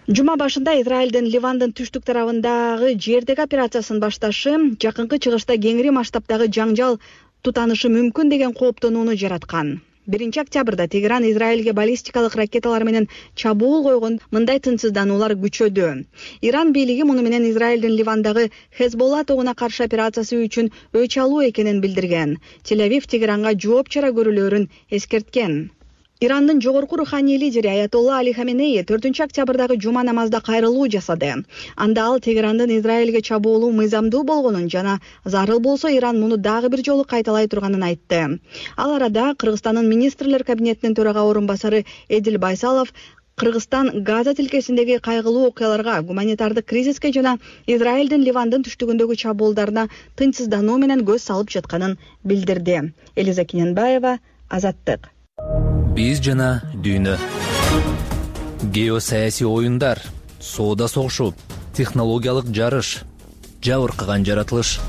Жума башында Израилдин Ливандын түштүк тарабындагы жердеги операциясын башташы жакынкы чыгышта кеңири масштабдагы жаңжал тутанышы мүмкүн деген кооптонууну жараткан. биринчи октябрда Тегеран Израилге баллистикалык ракеталар менен чабуул койгон мындай тынчсыздануулар күчөдү. Иран бийлиги муну менен Израилдин Ливандагы Хезболла тобуна каршы операциясы үчүн өч алуу экенин билдирген. Тель-Авив Тегеранга жооп чара көрүлөөрүн эскерткен. Ирандын жогорку руханий лидери Аятолла Али Хаманеи төртүнчү октябрдагы жума намазда кайрылуу жасады. Анда ал Тегерандын Израилге чабуулу мыйзамдуу болгонун жана зарыл болсо Иран муну дагы бир жолу кайталай турганын айтты. Ал арада Кыргызстандын министрлер кабинетинин төрага орун басары Эдил Байсалов Кыргызстан Газа тилкесиндеги кайгылуу окуяларга, гуманитардык кризиске жана Израилдин Ливандын түштүгүндөгү чабуулдарына тынчсыздануу менен көз салып жатканын билдирди. Элиза Киненбаева, Азаттык. Биз жана дүйнө. Геосаясий оюндар, соода согушу, технологиялык жарыш, жабыркаган жаратылыш.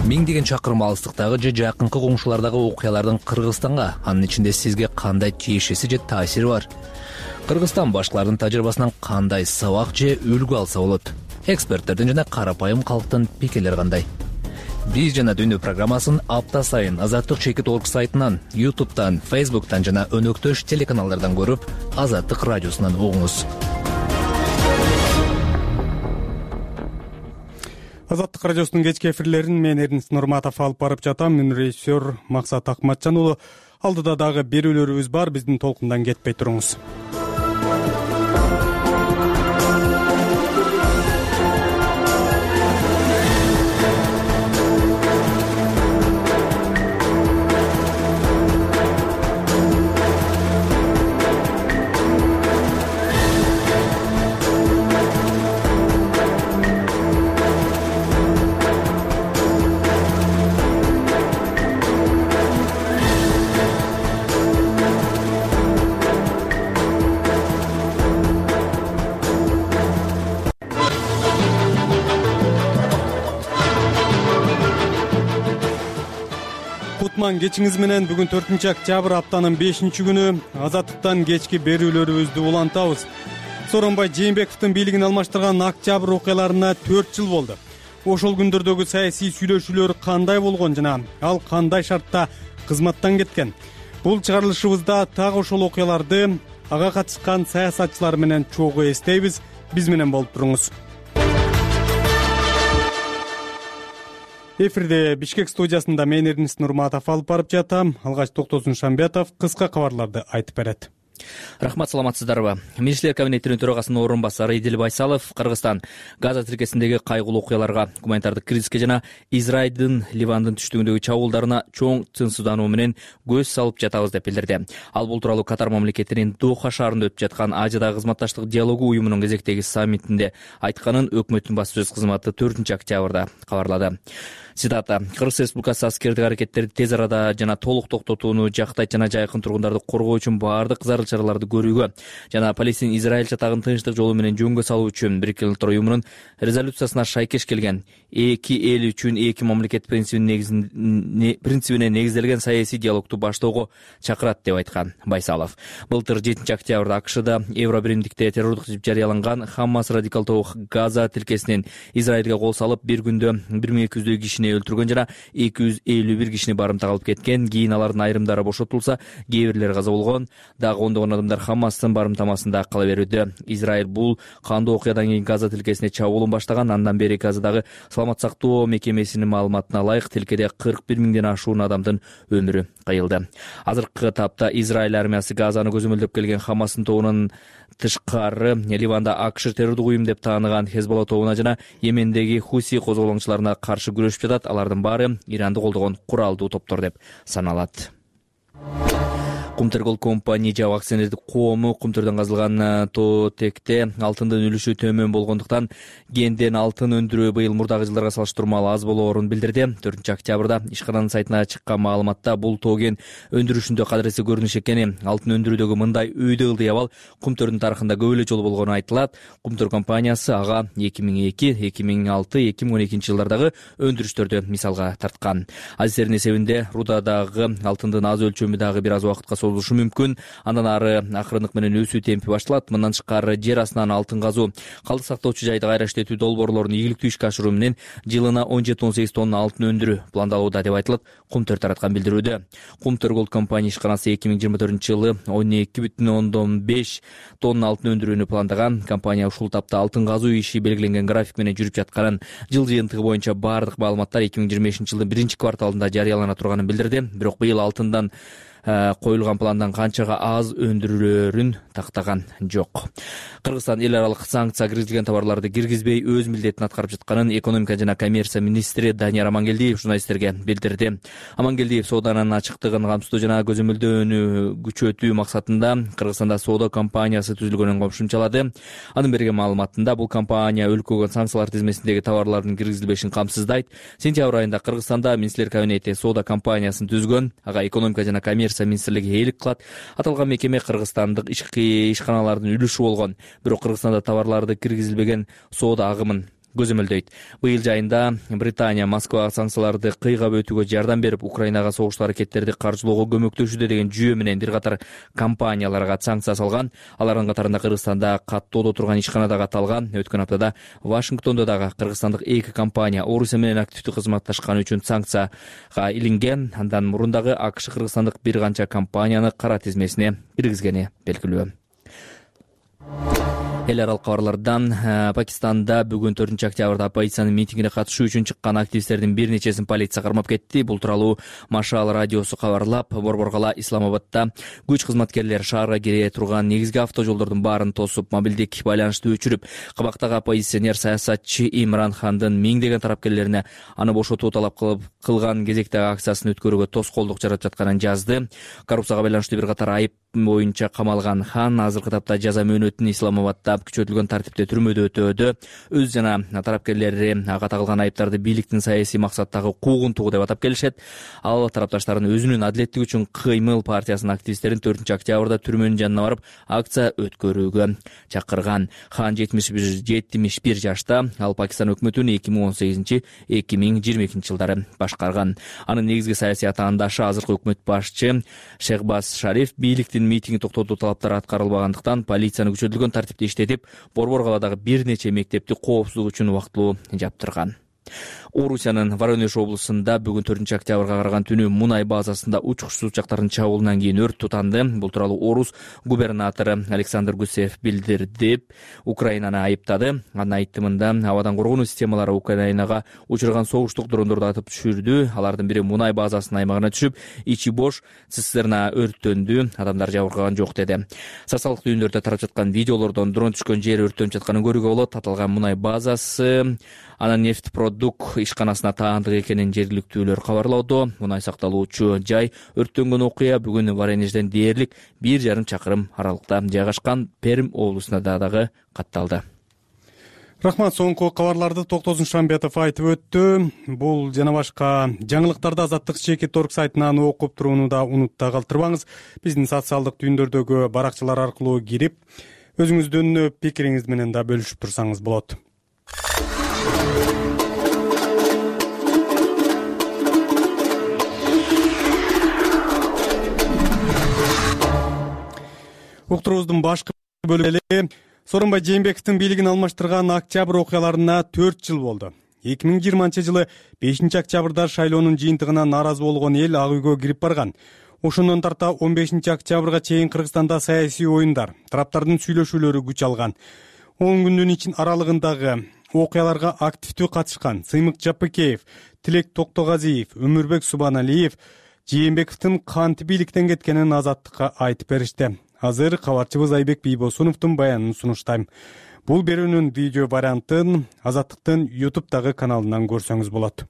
Миңдеген чакырым алыстыктагы же жакынкы коңшулардагы окуялардын Кыргызстанга, анын ичинде сизге кандай тиешеси же таасири бар? Кыргызстан башкалардын тажрыйбасынан кандай сабак же үлгү алса болот? Эксперттердин жана карапайым калктын пикирлери кандай? Биз жана дүйнө программасын апта сайын Азаттык чекит орг сайтынан, ютубтан, фейсбуктан жана өнөктөш телеканалдардан көрүп, Азаттык радиосунан угуңуз. Азаттык радиосунун кечки эфирлерин мен Эрнис Нурматов алып барып жатам. Мен режиссер Максат Акматжан уулу. Алдыда дагы берүүлөрүбүз бар, биздин толкундан кетпей туруңуз. кутман кечиңиз менен. Бүгүн төртүнчү октябрь, аптанын бешинчи күнү. Азаттыктан кечки берүүлөрүбүздү улантабыз. Сооронбай Жээнбековдун бийлигин алмаштырган октябрь окуяларына төрт жыл болду. Ошол күндөрдөгү саясий сүйлөшүүлөр кандай болгон жана ал кандай шартта кызматтан кеткен? Бул чыгарылышыбызда так ошол окуяларды, ага катышкан саясатчылар менен чогуу эстейбиз. Биз менен болуп туруңуз. Эфирде Бишкек студиясында мен Эрнис Нурматов алып барып жатам. Алгач Токтосун Шамбетов кыска кабарларды айтып берет. Рахмат, саламатсыздарбы? Министрлер кабинетинин төрагасынын орун басары Идил Байсалов Кыргызстан Газа тилкесиндеги кайгылуу окуяларга, гуманитардык кризиске жана Израилдин Ливандын түштүгүндөгү чабуулдарына чоң тынчсыздануу менен көз салып жатабыз деп билдирди. Ал бул тууралуу Катар мамлекетинин Доха шаарында өтүп жаткан Азиядагы кызматташтык диалогу уюмунун кезектеги саммитинде айтканын өкмөттүн баспасөз кызматы төртүнчү октябрда кабарлады. Цитата: Кыргыз Республикасы аскердик аракеттерди тез арада жана толук токтотууну жактайт жана жайкын тургундарды коргоо үчүн баардык зарыл чараларды көрүүгө жана Палестин Израиль чатагын тынчтык жолу менен жөнгө салуу үчүн Бириккен Улуттар уюмунун резолюциясына шайкеш келген эки эл үчүн эки мамлекет принцибине негизделген саясий диалогду баштоого чакырат деп айткан Байсалов. Былтыр жетинчи октябрда АКШда Евробиримдикте террордук деп жарыяланган Хамас радикал тобу Газа тилкесинен Израилге кол салып, бир күндө бир миң эки жүздөй кишини өлтүргөн жана эки жүз элүү бир кишини барымтага алып кеткен. Кийин алардын айрымдары бошотулса, кээ бирлери каза болгон. Дагы ондогон адамдар Хамастын барымтамасында кала берүүдө. Израиль бул кандуу окуядан кийин Газа тилкесине чабуулун баштаган. Андан бери Газадагы саламат сактоо мекемесинин маалыматына ылайык тилкеде кырк бир миңден ашуун адамдын өмүрү кыйылды. Азыркы тапта Израиль армиясы Газаны көзөмөлдөп келген Хамастын тобунун тышкары Ливанда АКШ террордук уюм деп тааныган Хезболла тобуна жана Йемендеги Хуси козголоңчуларына каршы күрөшүп жатат. Алардын баары Иранды колдогон куралдуу топтор деп саналат. Кумтөр компания жабык акционердик коому кумтөрдөн казылган тоотекте алтындын үлүшү төмөн болгондуктан кенден алтын өндүрүү быйыл мурдагы жылдарга салыштырмалуу аз болоорун билдирди. төртүнчү октябрда ишкананын сайтына чыккан маалыматта бул тоо кен өндүрүшүндө кадыресе көрүнүш экени, алтын өндүрүүдөгү мындай өйдө ылдый абал кумтөрдүн тарыхында көп эле жолу болгону айтылат. Кумтөр компаниясы ага эки миң эки, эки миң алты, эки миң он экинчи жылдардагы өндүрүштөрдү мисалга тарткан. Азистердин эсебинде рудадагы алтындын аз өлчөмү дагы бир аз убакытка созулушу мүмкүн. Андан ары акырындык менен өсүү темпи башталат. Мындан тышкары жер астынан алтын казуу, калдык сактоочу жайды кайра иштетүү долбоорлорун ийгиликтүү ишке ашыруу менен жылына он жети он сегиз тонна алтын өндүрүү пландалууда деп айтылат Кумтөр тараткан билдирүүдө. Кумтөр Голд компания ишканасы эки миң жыйырма төртүнчү жылы он эки бүтүн ондон беш тонна алтын өндүрүүнү пландаган. Компания ушул тапта алтын казуу иши белгиленген график менен жүрүп жатканын, жыл жыйынтыгы боюнча баардык маалыматтар эки миң жыйырма бешинчи жылдын биринчи кварталында жарыялана турганын билдирди. Бирок быйыл алтындан коюлган пландан канчага аз өндүрүлөрүн тактаган жок. Кыргызстан эл аралык санкция киргизилген товарларды киргизбей өз милдетин аткарып жатканын экономика жана коммерция министри Данияр Амангелдиев журналисттерге билдирди. Амангелдиев сооданын ачыктыгын камсыздоо жана көзөмөлдөөнү күчөтүү максатында Кыргызстанда соода компаниясы түзүлгөнүн кошумчалады. Анын берген маалыматында бул компания өлкөгө санкциялар тизмесиндеги товарлардын киргизилбешин камсыздайт. Сентябрь айында Кыргызстанда министрлер кабинети соода компаниясын түзгөн. Ага экономика жана коммерция министрлиги ээлик кылат. Аталган мекеме кыргызстандык ички ишканалардын үлүшү болгон. Бирок Кыргызстанда товарларды киргизилбеген соода агымын көзөмөлдөйт. Быйыл жайында Британия Москвага санкцияларды кыйгап өтүүгө жардам берип, Украинага согуштуу аракеттерди каржылоого көмөктөшүүдө деген жүйө менен бир катар компанияларга санкция салган. Алардын катарында Кыргызстанда каттоодо турган ишкана да катталган. Өткөн аптада Вашингтондо дагы кыргызстандык эки компания Орусия менен активдүү кызматташканы үчүн санкцияга илинген. Андан мурун дагы АКШ кыргызстандык бир канча компанияны кара тизмесине киргизгени белгилүү. Эл аралык кабарлардан Пакистанда бүгүн төртүнчү октябрда оппозициянын митингине катышуу үчүн чыккан активисттердин бир нечесин полиция кармап кетти. Бул тууралуу Машал радиосу кабарлап, Борборгала Исламабадда күч кызматкерлери шаарга кире турган негизги автожолдордун баарын тосуп, мобилдик байланышты өчүрүп, кабактагы оппозиционер саясатчы Имран Хандын миңдеген тарапкерлерине аны бошотуу талап кылып кылган кезектеги акциясын өткөрүүгө тоскоолдук жаратып жатканын жазды. Коррупцияга байланыштуу бир катар айып боюнча камалган Хан азыркы тапта жаза мөөнөтүн Исламабадда каттап күчөтүлгөн тартипте түрмөдө өтөөдө. Өз жана тарапкерлери ага тагылган айыптарды бийликтин саясий максаттагы куугунтугу деп атап келишет. Ал тарапташтардын өзүнүн адилеттик үчүн кыймыл партиясынын активисттерин төртүнчү октябрда түрмөнүн жанына барып акция өткөрүүгө чакырган. Хан жетимиш бир жашта. Ал Пакистан өкмөтүн эки миң он сегизинчи эки миң жыйырма экинчи жылдары башкарган. Анын негизги саясий атаандашы азыркы өкмөт башчы Шехбаз Шариф бийликтин митинги токтотуу талаптары аткарылбагандыктан полицияны күчөтүлгөн тартипте иштетип, Борбор калаадагы бир нече мектепти коопсуздук үчүн убактылуу жаптырган. Орусиянын Воронеж облусунда бүгүн төртүнчү октябрга караган түнү мунай базасында учкучсуз учактардын чабуулунан кийин өрт тутанды. Бул тууралуу Орус губернатору Александр Гусев билдирди. Украинаны айыптады. Анын айтымында абадан коргонуу системалары Украинага учурган согуштук дрондорду атып түшүрдү. Алардын бири мунай базасынын аймагына түшүп, ичи бош цистерна өрттөндү. Адамдар жабыркаган жок деди. Социалдык түйүндөрдө тарап жаткан видеолордон дрон түшкөн жери өрттөнүп жатканын көрүүгө болот. Аталган мунай базасы анан нефть продукт ишканасына таандык экенин жергиликтүүлөр кабарлоодо. Мунай сакталуучу жай өрттөнгөн окуя бүгүн Воронежден дээрлик бир жарым чакырым аралыкта жайгашкан Пермь облусунда дагы катталды. Рахмат. Соңку кабарларды Токтозун Шамбетов айтып өттү. Бул жана башка жаңылыктарды Азаттык чекит орг сайтынан окуп турууну да унутта калтырбаңыз. Биздин социалдык түйүндөрдөгү баракчалар аркылуу кирип, өзүңүздүн пикириңиз менен да бөлүшүп турсаңыз болот. Уктуруубуздун башкы бөлүгү Сооронбай Жээнбековдун бийлигин алмаштырган октябрь окуяларына төрт жыл болду. эки миң жыйырманчы жылы бешинчи октябрда шайлоонун жыйынтыгына нааразы болгон эл ак үйгө кирип барган. Ошондон тарта он бешинчи октябрга чейин Кыргызстанда саясий оюндар, тараптардын сүйлөшүүлөрү күч алган. он күндүн ичин аралыгындагы окуяларга активдүү катышкан Сыймык Жапыкеев, Тилек Токтогазиев, Өмүрбек Субаналиев Жээнбековдун кантип бийликтен кеткенин Азаттыкка айтып беришти. Азыр кабарчыбыз Айбек Бийбосуновдун баянын сунуштайм. Бул берүүнүн видео вариантын Азаттыктын YouTube-дагы каналынан көрсөңүз болот.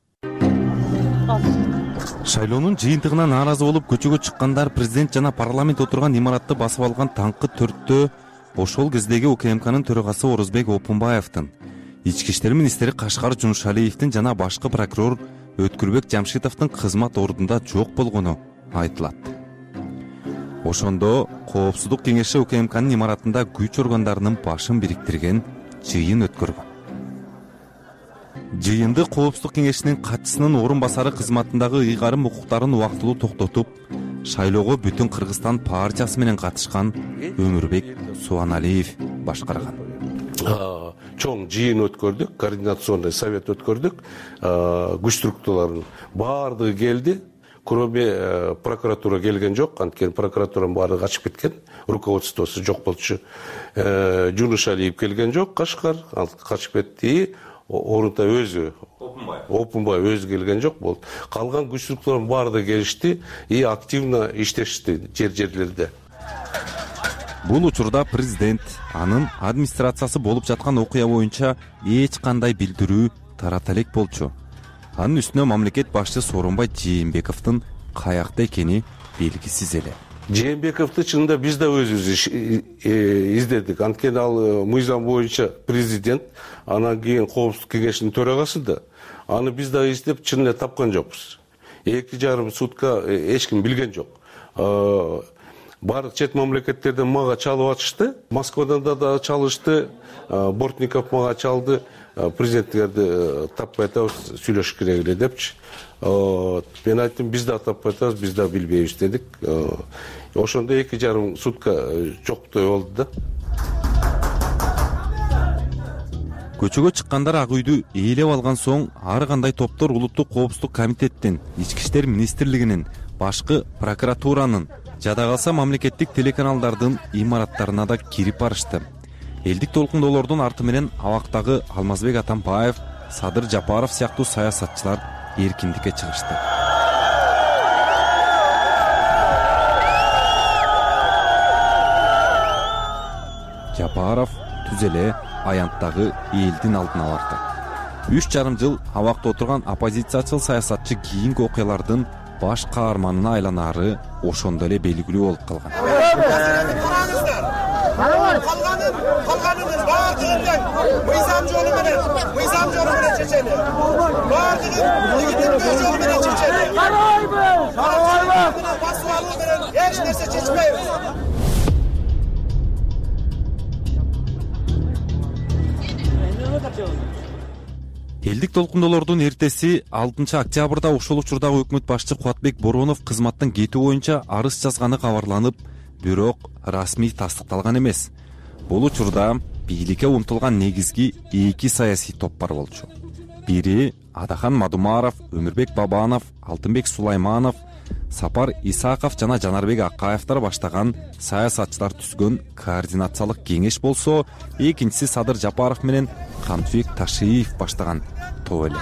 Шайлоонун жыйынтыгына нааразы болуп көчөгө чыккандар президент жана парламент отурган имаратты басып алган таңкы төрттө ошол кездеги УКМКнын төрагасы Орозбек Опунбаевдин, ички иштер министри Кашкар Жумшалиевдин жана башкы прокурор Өткүрбек Жамшитовдун кызмат ордунда жок болгону айтылат. Ошондо Коопсуздук кеңеши УКМКнын имаратында күч органдарынын башын бириктирген жыйын өткөргөн. Жыйынды Коопсуздук кеңешинин катчысынын орун басары кызматындагы ыйгарым укуктарын убактылуу токтотуп, шайлоого бүтүн Кыргызстан партиясы менен катышкан Өмүрбек Субаналиев башкарган. Чоң жыйын өткөрдүк, координационный совет өткөрдүк, күч структураларынын баардыгы келди. Кроме прокуратура келген жок, анткени прокуратуранын баары качып кеткен, руководствосу жок болчу. Жунушалиев келген жок, Кашкар, ал качып кетти. Орунта өзү Опунбай өзү келген жок болду. Калган күч структураларынын баардыгы келишти и активно иштешти жер-жерлерде. Бул учурда президент, анын администрациясы болуп жаткан окуя боюнча эч кандай билдирүү тарата элек болчу. Анын үстүнө мамлекет башчысы Сооронбай Жээнбековдун каякта экени белгисиз эле. Жээнбековду чынында биз да өзүбүз издедик. Анткени ал мыйзам боюнча президент, анан кийин Коопсуздук кеңешинин төрагасы да. Аны биз да издеп чын эле тапкан жокпуз. Эки жарым сутка эч ким билген жок. Баардык чет мамлекеттерден мага чалып атышты. Москвадан да чалышты. Бортников мага чалды. Президенттерди таппай атабыз, сүйлөшүш керек эле депчи. Мен айттым, биз да таппай атабыз, биз да билбейбиз дедик. Ошондо эки жарым сутка жоктой болду да. Көчөгө чыккандар ак үйдү ээлеп алган соң ар кандай топтор улуттук коопсуздук комитеттин, ички иштер министрлигинин, башкы прокуратуранын, жада калса мамлекеттик телеканалдардын имараттарына да кирип барышты. Элдик толкундоолордун арты менен абактагы Алмазбек Атамбаев, Садыр Жапаров сыяктуу саясатчылар эркиндикке чыгышты. Жапаров түз эле аянттагы элдин алдына барды. Үч жарым жыл абакта отурган оппозициячыл саясатчы кийинки окуялардын баш каарманына айланары ошондо эле белгилүү болуп калган. калганыбыз баардыгын тең мыйзам жолу менен мыйзам жолу менен чечели. Баардыгын легитимдүү жол менен чечели. Карабайбыз. Карабайбыз. Басып алуу менен эч нерсе чечпейбиз. элдик толкундоолордун эртеси алтынчы октябрда ошол учурдагы өкмөт башчы Кубатбек Боронов кызматтан кетүү боюнча арыз жазганы кабарланып, бирок расмий тастыкталган эмес. Бул учурда бийликке умтулган негизги эки саясий топ бар болчу. Бири Адахан Мадумаров, Өмүрбек Бабанов, Алтынбек Сулайманов, Сапар Исаков жана Жанарбек Акаевдер баштаган саясатчылар түзгөн координациялык кеңеш болсо, экинчиси Садыр Жапаров менен Камчыбек Ташиев баштаган топ эле.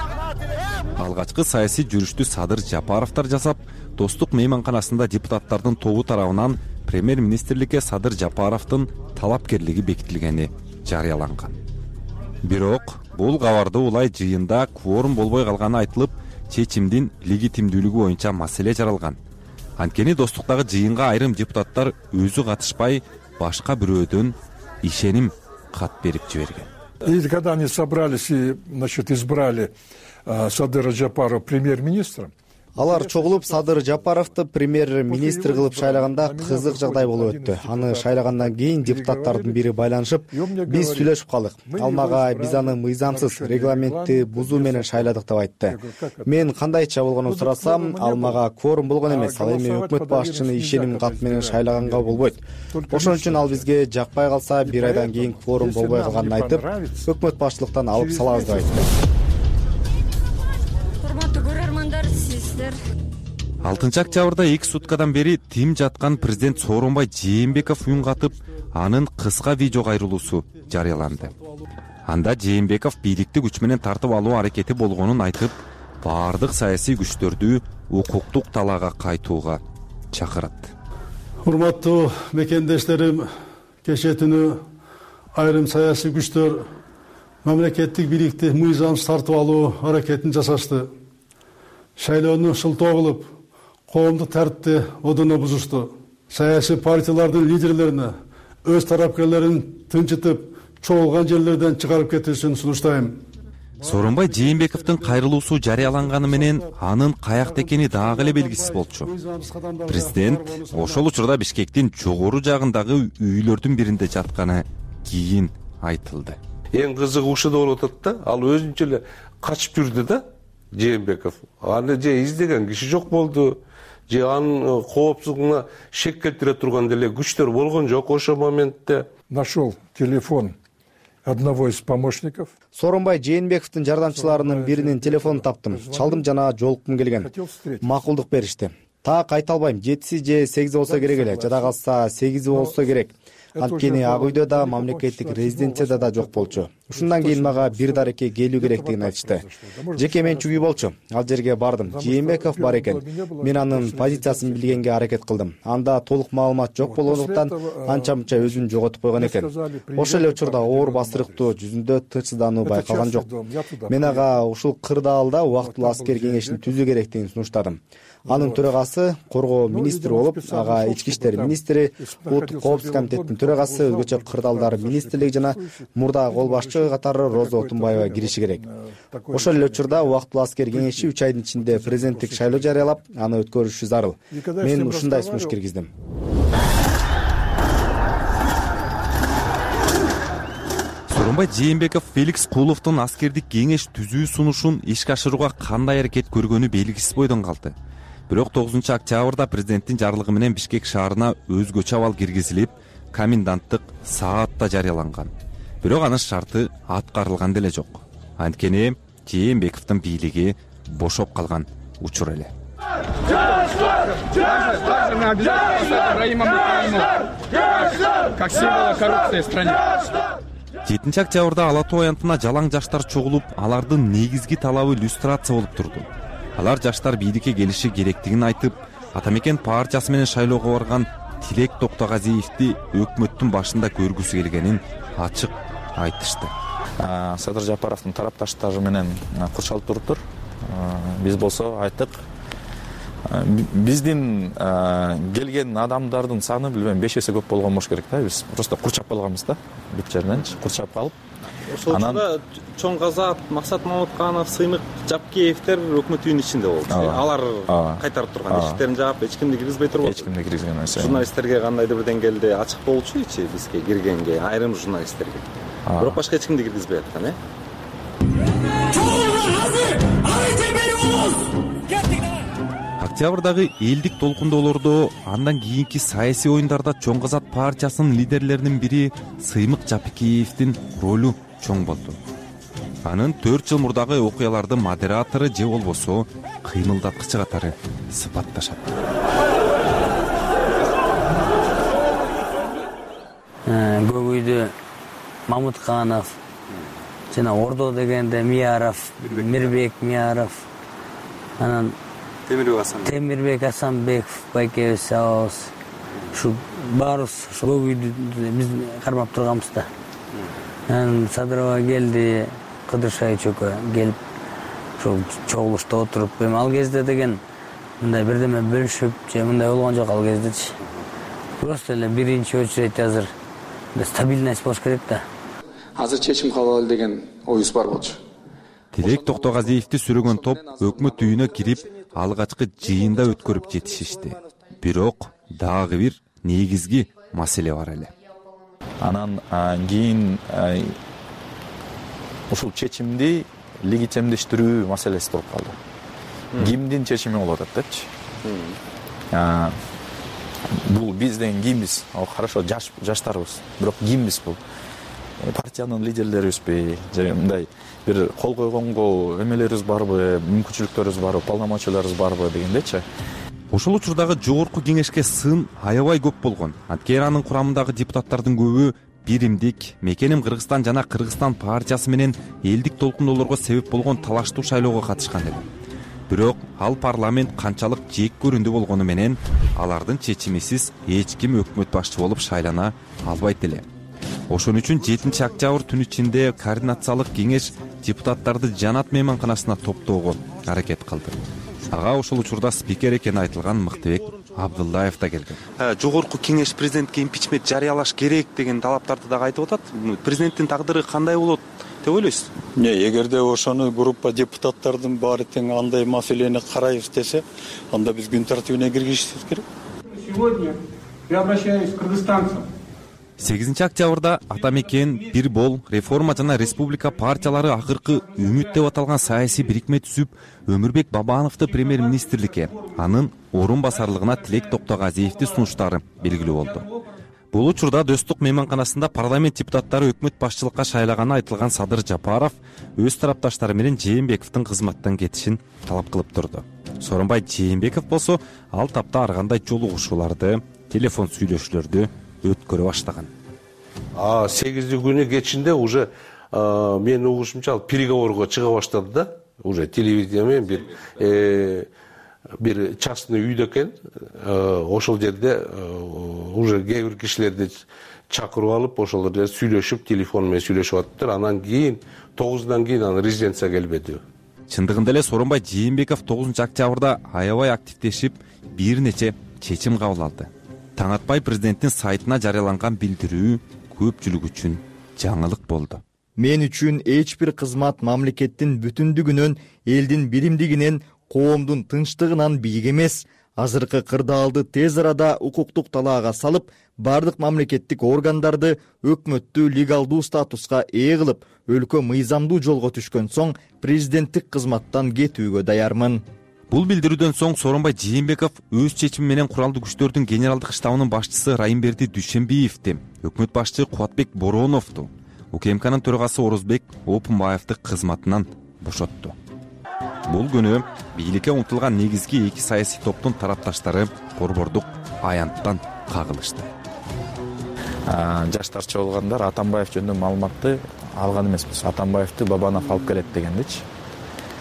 Алгачкы саясий жүрүштү Садыр Жапаровдор жасап, Достук мейманканасында депутаттардын тобу тарабынан премьер-министрликке Садыр Жапаровдун талапкерлиги бекитилгени жарыяланган. Бирок бул кабарды улай жыйында кворум болбой калганы айтылып, чечимдин легитимдүүлүгү боюнча маселе жаралган. Анткени Достуктагы жыйынга айрым депутаттар өзү катышпай, башка бирөөдөн ишеним кат берип жиберген. И когда они собрались и, значит, избрали э, Садыра Жапарова премьер-министром, алар чогулуп Садыр Жапаровду премьер-министр кылып шайлаганда кызык жагдай болуп өттү. Аны шайлагандан кийин депутаттардын бири байланышып, биз сүйлөшүп калдык. Ал мага биз аны мыйзамсыз, регламентти бузуу менен шайладык деп айтты. Мен кандайча болгонун сурасам, ал мага кворум болгон эмес, ал эми өкмөт башчыны ишеним кат менен шайлаганга болбойт. Ошон үчүн ал бизге жакпай калса, бир айдан кийин кворум болбой калганын айтып, өкмөт башчылыктан алып салабыз деп айтты. алтынчы октябрда эки суткадан бери тим жаткан президент Сооронбай Жээнбеков уюн катып, анын кыска видео кайрылуусу жарыяланды. Анда Жээнбеков бийликти күч менен тартып алуу аракети болгонун айтып, баардык саясий күчтөрдү укуктук талаага кайтууга чакырат. Урматтуу мекендештерим, кечээ түнү айрым саясий күчтөр мамлекеттик бийликти мыйзамсыз тартып алуу аракетин жасашты. Шайлоону шылтоо кылып, коомдук тартипти одоно бузушту. Саясий партиялардын лидерлерине өз тарапкерлерин тынчытып, чогулган жерлерден чыгарып кетишин сунуштайм. Сооронбай Жээнбековдун кайрылуусу жарыяланганы менен анын каякта экени дагы эле белгисиз болчу. Президент ошол учурда Бишкектин жогору жагындагы үйлөрдүн биринде жатканы кийин айтылды. Эң кызыгы ушуда болуп атат да, ал өзүнчө эле качып жүрдү да. Жээнбеков аны же издеген киши жок болду, же анын коопсуздугуна шек келтире турган деле күчтөр болгон жок ошол моментте. Нашел телефон одного из помощников. Сооронбай Жээнбековдун жардамчыларынын биринин телефонун таптым. Чалдым жана жолуккум келген. Макулдук беришти. Так айта албайм, жетиси же сегизи болсо керек эле, жада калса сегизи болсо керек. Анткени Ак үйдө да, мамлекеттик резиденцияда да жок болчу. Ушундан кийин мага бир дарекке келүү керектигин айтышты. Жеке менчик үй болчу. Ал жерге бардым. Жээнбеков бар экен. Мен анын позициясын билгенге аракет кылдым. Анда толук маалымат жок болгондуктан анча-мынча өзүн жоготуп койгон экен. Ошол эле учурда оор басырыктуу, жүзүндө тынчсыздануу байкалган жок. Мен ага ушул кырдаалда убактылуу аскер кеңешин түзүү керектигин сунуштадым. Анын төрагасы коргоо министри болуп, ага ички иштер министри, улуттук коопсуздук комитеттин төрагасы, өзгөчө кырдаалдар министрлиги жана мурдагы кол башчы катары Роза Отунбаева кириши керек. Ошол эле учурда убактылуу аскер кеңеши үч айдын ичинде президенттик шайлоо жарыялап, аны өткөрүшү зарыл. Мен ушундай сунуш киргиздим. Сооронбай Жээнбеков Феликс Куловдун аскердик кеңеш түзүү сунушун ишке ашырууга кандай аракет көргөнү белгисиз бойдон калды. Бирок тогузунчу октябрда президенттин жарлыгы менен Бишкек шаарына өзгөчө абал киргизилип, коменданттык саат да жарыяланган. Бирок анын шарты аткарылган деле жок. Анткени Жээнбековдун бийлиги бошоп калган учур эле. жетинчи октябрда Ала Тоо аянтына жалаң жаштар чогулуп, алардын негизги талабы люстрация болуп турду. Алар жаштар бийликке келиши керектигин айтып, Атамекен партиясы менен шайлоого барган Тилек Токтогазиевди өкмөттүн башында көргүсү келгенин ачык айтышты. Садыр Жапаровдун тарапташтары менен курчалып туруптур. Биз болсо айттык, биздин келген адамдардын саны билбейм беш эсе көп болгон болуш керек да. Биз просто курчап калганбыз да, бүт жерденчи курчап калып. Ошол учурда Чоң Казат, Максат Мамутканов, Сыймык Жапкеевдер өкмөт үйүнүн ичинде болду. Алар кайтарып турган, эшиктерин жаап, эч кимди киргизбей турбу. Эч кимди киргизген эмес. Журналисттерге кандайдыр бир деңгээлде ачык болчу-ичи бизге киргенге, айрым журналисттерге. Бирок башка эч кимди киргизбей аткан, э? Октябрдагы элдик толкундоолордо андан кийинки саясий оюндарда Чоң Казат партиясынын лидерлеринин бири Сыймык Жапкеевдин ролу чоң болду. Анын төрт жыл мурдагы окуялардын модератору же болбосо кыймылдаткычы катары сыпатташат. Көк үйдө Мамутканов жана Ордо дегенде Мияров, Мирбек Мияров, анан Темирбек Асанбек, Темирбек Асанбеков, байкебиз абабыз. Ушу баарыбыз ушу көк үйдү биз кармап турганбыз да. Анан Садырова келди, Кыдыршай чөкө келип, ошол чогулушта отуруп, эми ал кезде деген мындай бирдеме бөлүшүп же мындай болгон жок ал кездечи. Просто эле биринчи очередь азыр стабильность болуш керек да. Азыр чечим кабыл алалы деген оюбуз бар болчу. Тилек Токтогазиевди сүрөгөн топ өкмөт үйүнө кирип, алгачкы жыйында өткөрүп жетишишти. Бирок дагы бир негизги маселе бар эле. Анан кийин ушул чечимди легитимдештирүү маселеси болуп калды. Кимдин чечими болуп атат депчи. Бул биз деген кимбиз? Хорошо, жаш жаштарбыз. Бирок кимбиз бул? Партиянын лидерлерибизби же мындай бир кол койгонго эмелерибиз барбы, мүмкүнчүлүктөрүбүз барбы, полномочияларыбыз барбы дегендечи. Ошол учурдагы жогорку кеңешке сын аябай көп болгон. Анткени анын курамындагы депутаттардын көбү биримдик, мекеним Кыргызстан жана Кыргызстан партиясы менен элдик толкундоолорго себеп болгон талаштуу шайлоого катышкан эле. Бирок ал парламент канчалык жек көрүндү болгону менен алардын чечимисиз эч ким өкмөт башчы болуп шайлана албайт эле. Ошон үчүн жетинчи октябрь түнү ичинде координациялык кеңеш депутаттарды Жанат мейманканасына топтоого аракет кылды. Ага ошол учурда спикер экени айтылган Мыктыбек Абдуллаев да келген. Жогорку кеңеш президентке импичмент жарыялаш керек деген талаптарды дагы айтып атат. Президенттин тагдыры кандай болот деп ойлойсуз? Эгерде ошону группа депутаттардын баары тең андай маселени карайбыз десе, анда биз күн тартибине киргизишибиз керек. Сегодня я обращаюсь к кыргызстанцам. сегизинчи октябрда Ата мекен, Бир бол, Реформа жана Республика партиялары акыркы үмүт деп аталган саясий бирикме түзүп, Өмүрбек Бабановду премьер-министрликке, анын орун басарлыгына Тилек Токтогазиевди сунуштары белгилүү болду. Бул учурда Достук мейманканасында парламент депутаттары өкмөт башчылыкка шайлаганы айтылган Садыр Жапаров өз тарапташтары менен Жээнбековдун кызматтан кетишин талап кылып турду. Сооронбай Жээнбеков болсо ал тапта ар кандай жолугушууларды, телефон сүйлөшүүлөрдү өткөрө баштаган. А сегизинчи күнү кечинде уже менин угушумча ал переговорго чыга баштады да. Уже телевидение менен бир бир частный үйдө экен. Ошол жерде уже кээ бир кишилерди чакырып алып, ошол жерде сүйлөшүп, телефон менен сүйлөшүп аттыр. Анан кийин тогуздан кийин анын резиденцияга келбеди. Чындыгында эле Сооронбай Жээнбеков тогузунчу октябрда аябай активдешип, бир нече чечим кабыл алды. Таң атпай президенттин сайтына жарыяланган билдирүү көпчүлүк үчүн жаңылык болду. Мен үчүн эч бир кызмат мамлекеттин бүтүндүгүнөн, элдин биримдигинен, коомдун тынчтыгынан бийик эмес. Азыркы кырдаалды тез арада укуктук талаага салып, бардык мамлекеттик органдарды өкмөттү легалдуу статуска ээ кылып, өлкө мыйзамдуу жолго түшкөн соң президенттик кызматтан кетүүгө даярмын. Бул билдирүүдөн соң Сооронбай Жээнбеков өз чечими менен куралдуу күчтөрдүн генералдык штабынын башчысы Райымберди Дүйшөнбиевди, өкмөт башчы Кубатбек Бороновду, УКМКнын төрагасы Орозбек Опунбаевди кызматынан бошотту. Бул күнү бийликке умтулган негизги эки саясий топтун тарапташтары борбордук аянттан кагылышты. Жаштарча болгондар Атамбаев жөнүндө маалыматты алган эмеспиз. Атамбаевди Бабанов алып келет дегендичи.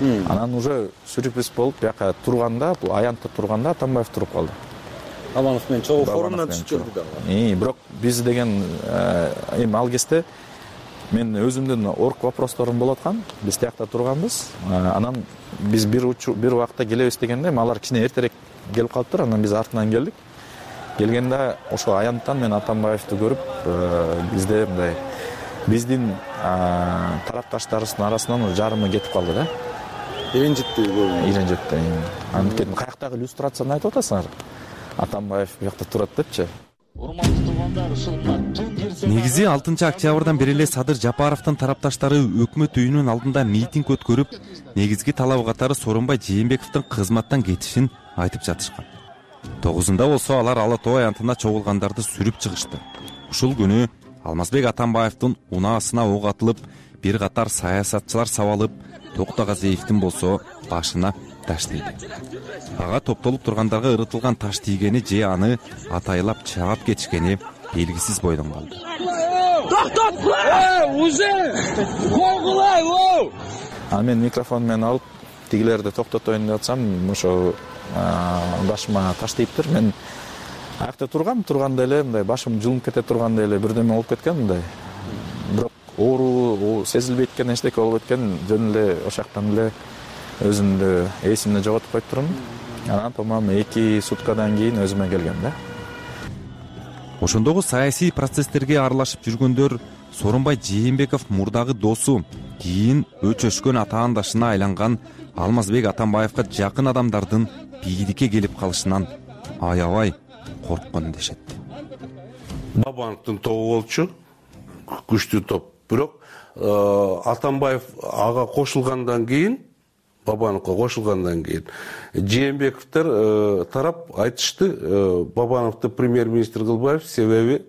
Анан уже сюрприз болуп, бияка турганда, бул аянтта турганда Атамбаев туруп калды. Бабанов менен чогуу форумдан түшүп келди да. Бирок биз деген эми ал кезде мен өзүмдүн орг вопросторум болуп аткан. Биз тиякта турганбыз. Анан биз бир бир убакта келебиз дегенде, алар кичине эртерээк келип калыптыр. Анан биз артынан келдик. Келгенде ошо аянттан мен Атамбаевди көрүп, бизде мындай биздин тарапташтарыбыздын арасынан жарымы кетип калды да. Иренжитти көбү. Иренжитти. Анткени каяктагы иллюстрацияны айтып атасыңар. Атамбаев бuyakta турат депчи. Негизи алтынчы октябрдан бери эле Садыр Жапаровдун тарапташтары өкмөт үйүнүн алдында митинг өткөрүп, негизги талабы катары Сооронбай Жээнбековдун кызматтан кетишин айтып жатышкан. тогузунда болсо алар Ала Тоо аянтына чогулгандарды сүрүп чыгышты. Ушул күнү Алмазбек Атамбаевдин унаасына ок атылып, бир катар саясатчылар сабалып, Токтогазиевдин болсо башына таш тийди. Ага топтолуп тургандарга ырытылган таш тийгени же аны атайлап чаап кетишкени белгисиз бойдон калды. Токтот кула! Уже! Койгулай! А мен микрофон менен алып тигилерди токтотоюн деп атсам, ошо башыма таш тийиптир. Мен аякта тургам, турганда эле мындай башым жылынып кете турганда эле бирдеме болуп кеткен мындай. Бирок оору сезилбейт экен, эчтеке болуп кеткен, жөн эле ошол жактан эле өзүмдү эсимди жоготуп коюп турмун. Анан по-моему эки суткадан кийин өзүмө келгем да. Ошондогу саясий процесстерге аралашып жүргөндөр Сооронбай Жээнбеков мурдагы досу, кийин өчөшкөн атаандашына айланган Алмазбек Атамбаевга жакын адамдардын бийликке келип калышынан аябай корккон дешет. Бабановдун тобу болчу, күчтүү топ. Бирок Атамбаев ага кошулгандан кийин, Бабановго кошулгандан кийин Жээнбековдор тарап айтышты, Бабановду премьер-министр кылбайбыз, себеби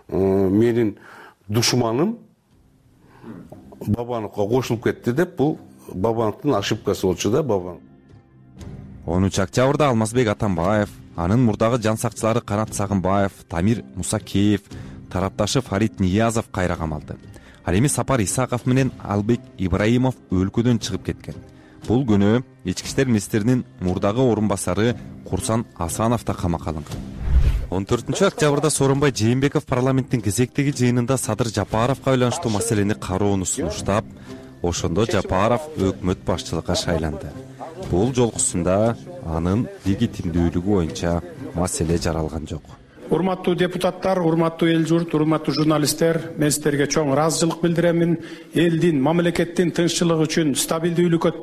менин душманым Бабановго кошулуп кетти деп, бул Бабановдун ошибкасы болчу да, Бабанов. онунчу октябрда Алмазбек Атамбаев, анын мурдагы жан сакчылары Канат Сагынбаев, Тамир Мусакеев, тарапташы Фарид Ниязов кайра камалды. Ал эми Сапар Исаков менен Албек Ибраимов өлкөдөн чыгып кеткен. Бул күнү ички иштер министринин мурдагы орун басары Курсан Асанов да камакка алынган. он төртүнчү октябрда Сооронбай Жээнбеков парламенттин кезектеги жыйынында Садыр Жапаровго байланыштуу маселени кароону сунуштап, ошондо Жапаров өкмөт башчылыкка шайланды. Бул жолкусунда анын легитимдүүлүгү боюнча маселе жаралган жок. Урматтуу депутаттар, урматтуу эл журт, урматтуу журналисттер, мен сиздерге чоң ыраазычылык билдиремин. Элдин, мамлекеттин тынччылыгы үчүн, стабилдүүлүккө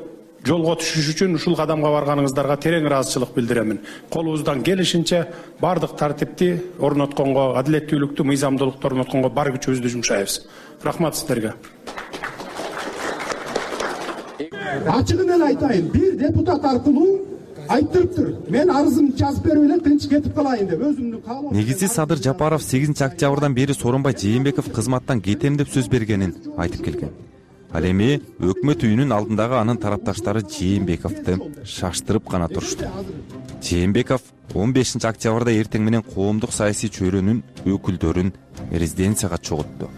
жолго түшүш үчүн ушул кадамга барганыңыздарга терең ыраазычылык билдиремин. Колубуздан келишинче бардык тартипти орнотконго, адилеттүүлүктү, мыйзамдуулукту орнотконго бар күчүбүздү жумшайбыз. Рахмат сиздерге. Ачыгын эле айтайын, бир депутат аркылуу айттырыптыр. Мен арызымды жазып берип эле тынч кетип калайын деп өзүмдүн каалоо. Негизи Садыр Жапаров сегизинчи октябрдан бери Сооронбай Жээнбеков кызматтан кетем деп сөз бергенин айтып келген. Ал эми өкмөт үйүнүн алдындагы анын тарапташтары Жээнбековду шаштырып гана турушту. Жээнбеков он бешинчи октябрда эртең менен коомдук саясий чөйрөнүн өкүлдөрүн резиденцияга чогултту.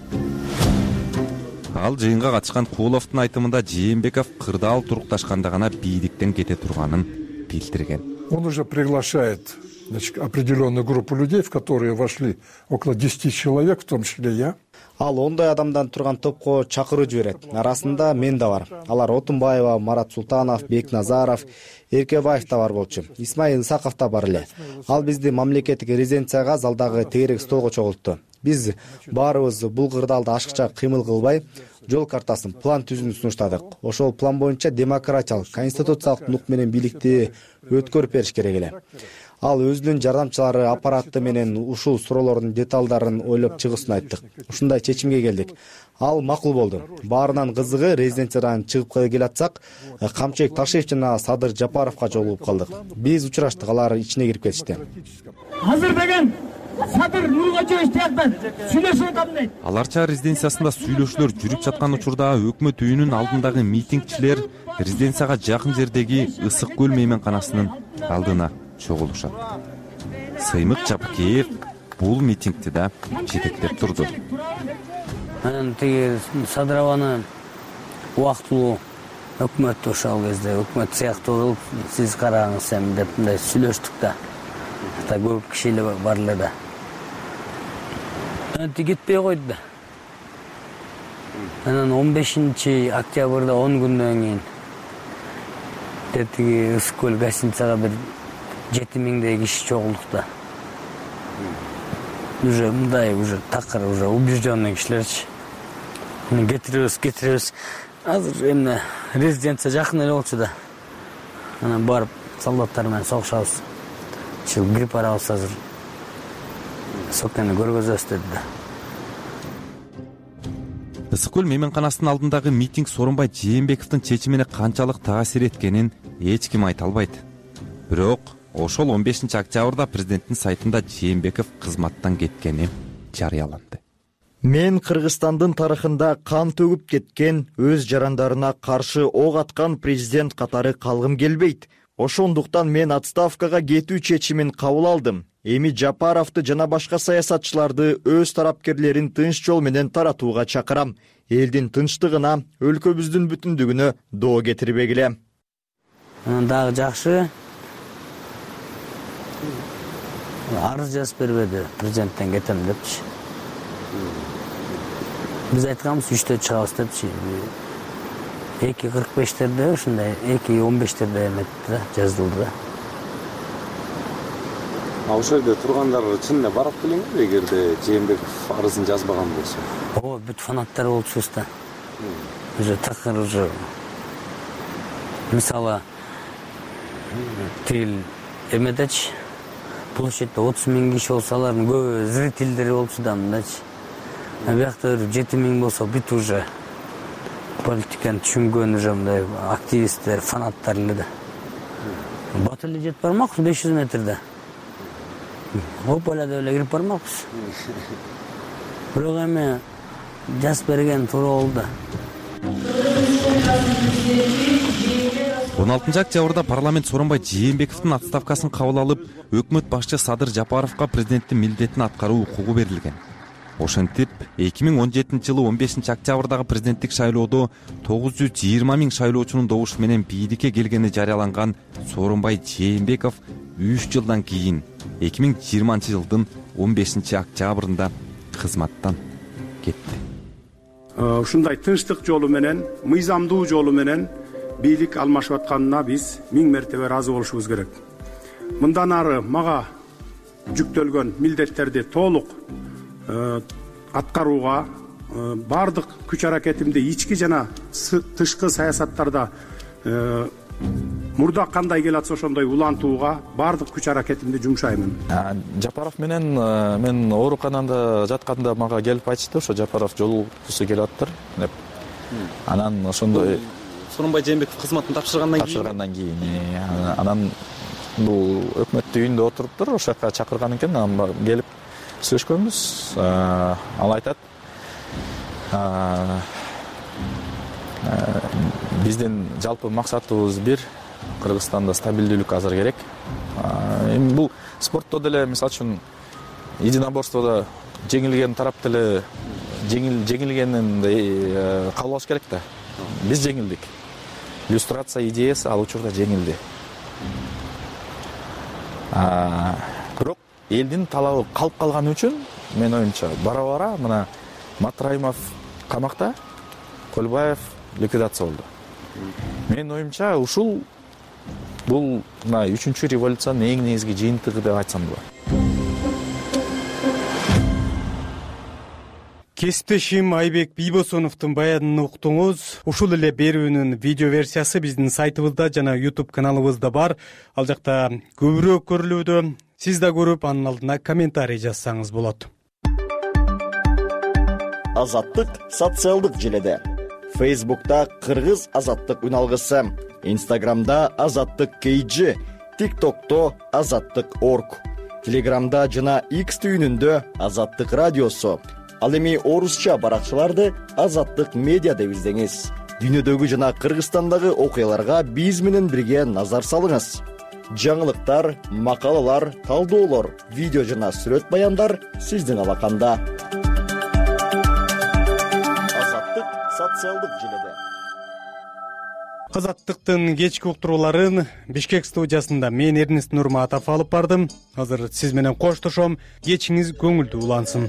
Ал жыйынга катышкан Кууловдун айтымында Жээнбеков кырдаал турукташканда гана бийликтен кете турганын билдирген. Он уже приглашает, значит, определенную группу людей, в которые вошли около десяти человек, в том числе я. Ал ондой адамдан турган топко чакыруу жиберет. Арасында мен да бар. Алар Отунбаева, Марат Султанов, Бекназаров, Эркебаев да бар болчу. Исмаил Исаков да бар эле. Ал бизди мамлекеттик резиденцияга залдагы тегерек столго чогултту. Биз баарыбыз бул кырдаалда ашыкча кыймыл кылбай, жол картасын, план түзүүнү сунуштадык. Ошол план боюнча демократиялык, конституциялык нук менен бийликти өткөрүп бериш керек эле. Ал өзүнүн жардамчылары аппараты менен ушул суроолордун деталдарын ойлоп чыгуусун айттык. Ушундай чечимге келдик. Ал макул болду. Баарынан кызыгы резиденциядан чыгып келатсак, Камчыбек Ташиев жана Садыр Жапаровго жолугуп калдык. Биз учураштык, алар ичине кирип кетишти. Азыр деген Садыр Нургачевич тияктан сүйлөшүп атам дейт. Аларча резиденциясында сүйлөшүүлөр жүрүп жаткан учурда өкмөт үйүнүн алдындагы митингчилер резиденцияга жакын жердеги Ысык көл мейманканасынын алдына чогулушат. Сыймык Жапкеев бул митингти да жетектеп турду. Анан тиги Садырованы убактылуу өкмөт ошол кезде өкмөт сыяктуу кылып сиз караңыз эми деп мындай сүйлөштүк да. Ата көп киши эле бар эле да. Анан кетпей койду да. анан он бешинчи октябрда он күндөн кийин тетиги ысык көл гостиницага бир жети миңдей киши чогулдук да. Уже мындай уже такыр уже убежденный кишилерчи. Муну кетиребиз, кетиребиз. Азыр эмне резиденция жакын эле болчу да. Анан барып солдаттар менен согушабыз. Чыл грипп барабыз азыр. Сокени көргөзөбүз деди да. Ысык көл мейманканасынын алдындагы митинг Сооронбай Жээнбековдун чечимине канчалык таасир эткенин эч ким айта албайт. Бирок ошол он бешинчи октябрда президенттин сайтында Жээнбеков кызматтан кеткени жарыяланды. Мен Кыргызстандын тарыхында кан төгүп кеткен, өз жарандарына каршы ок аткан президент катары калгым келбейт. Ошондуктан мен отставкага кетүү чечимин кабыл алдым. Эми Жапаровду жана башка саясатчыларды өз тарапкерлерин тынч жол менен таратууга чакырам. Элдин тынчтыгына, өлкөбүздүн бүтүндүгүнө доо кетирбегиле. Анан дагы жакшы арыз жазып бербеди президенттен кетем депчи. Биз айтканбыз үчтө чыгабыз депчи. эки кырк бештерде ушундай эки он бештерде эметти да, жазылды да. А ошол жерде тургандар чын эле барып келеңби эгерде Жээнбеков арызын жазбаган болсо? Ооба, бүт фанаттар болчубуз да. Уже такыр уже мисалы тил эмедечи площадьте отуз миң киши болсо алардын көбү зрительдери болчу да мындачы. А биякта жети миң болсо бүт уже политиканы түшүнгөн уже мындай активисттер, фанаттар эле да. Бат эле жетип бармакпыз беш жүз метрде. Оп эле деп эле кирип бармакпыз. Бирок эми жазып берген туура болду. он алтынчы октябрда парламент Сооронбай Жээнбековдун отставкасын кабыл алып, өкмөт башчы Садыр Жапаровго президенттин милдетин аткаруу укугу берилген. Ошентип, эки миң он жетинчи жылы он бешинчи октябрдагы президенттик шайлоодо тогуз жүз жыйырма миң шайлоочунун добушу менен бийликке келгени жарыяланган Сооронбай Жээнбеков үч жылдан кийин эки миң жыйырманчы жылдын он бешинчи октябрында кызматтан кетти. Ушундай тынчтык жолу менен, мыйзамдуу жолу менен бийлик алмашып атканына биз миң мертебе ыраазы болушубуз керек. Мындан ары мага жүктөлгөн милдеттерди толук аткарууга бардык күч аракетимди ички жана тышкы саясаттарда мурда кандай келатса ошондой улантууга бардык күч аракетимди жумшаймын. Жапаров менен мен ооруканада жатканда мага келип айтышты, ошо Жапаров жолугусу келип аттыр деп. Анан ошондой Сооронбай Жээнбеков кызматын тапшыргандан кийин тапшыргандан кийин анан бул өкмөттүн үйүндө отуруптур, ошол жака чакырган экен, анан келип сүйлөшкөнбүз. Ал айтат, биздин жалпы максатыбыз бир, Кыргызстанда стабилдүүлүк азыр керек. Эми бул спортто деле, мисалы үчүн, единоборстводо жеңилген тарап деле жеңил жеңилгенин кабыл алыш керек да. Биз жеңилдик. Иллюстрация идеясы ал учурда жеңилди. Бирок элдин талабы калып калганы үчүн, мен оюмча, бара-бара мына Матраимов камакта, Көлбаев ликвидация болду. Мен оюмча, ушул бул мына үчүнчү революциянын эң негизги жыйынтыгы деп айтсам болот. Кесиптешим Айбек Бийбосоновдун баянын уктуңуз. Ушул эле берүүнүн видео версиясы биздин сайтыбызда жана YouTube каналыбызда бар. Ал жакта көбүрөөк көрүлүүдө. Сиз да көрүп, анын алдына комментарий жазсаңыз болот. Азаттык социалдык желеде. Facebook'ta Кыргыз азаттык үналгысы, Instagram'da азаттык кей джи, TikTok'то азаттык точка орг, Telegram'da жана X түйүнүндө азаттык радиосу. Ал эми орусча баракчаларды азаттык медиа деп издеңиз. Дүйнөдөгү жана Кыргызстандагы окуяларга биз менен бирге назар салыңыз. Жаңылыктар, макалалар, талдоолор, видео жана сүрөт баяндар сиздин алаканда. Азаттык социалдык желеде. Азаттыктын кечки уктурууларын Бишкек студиясында мен Эрнест Нурматов алып бардым. Азыр сиз менен коштошом. Кечиңиз көңүлдүү улансын.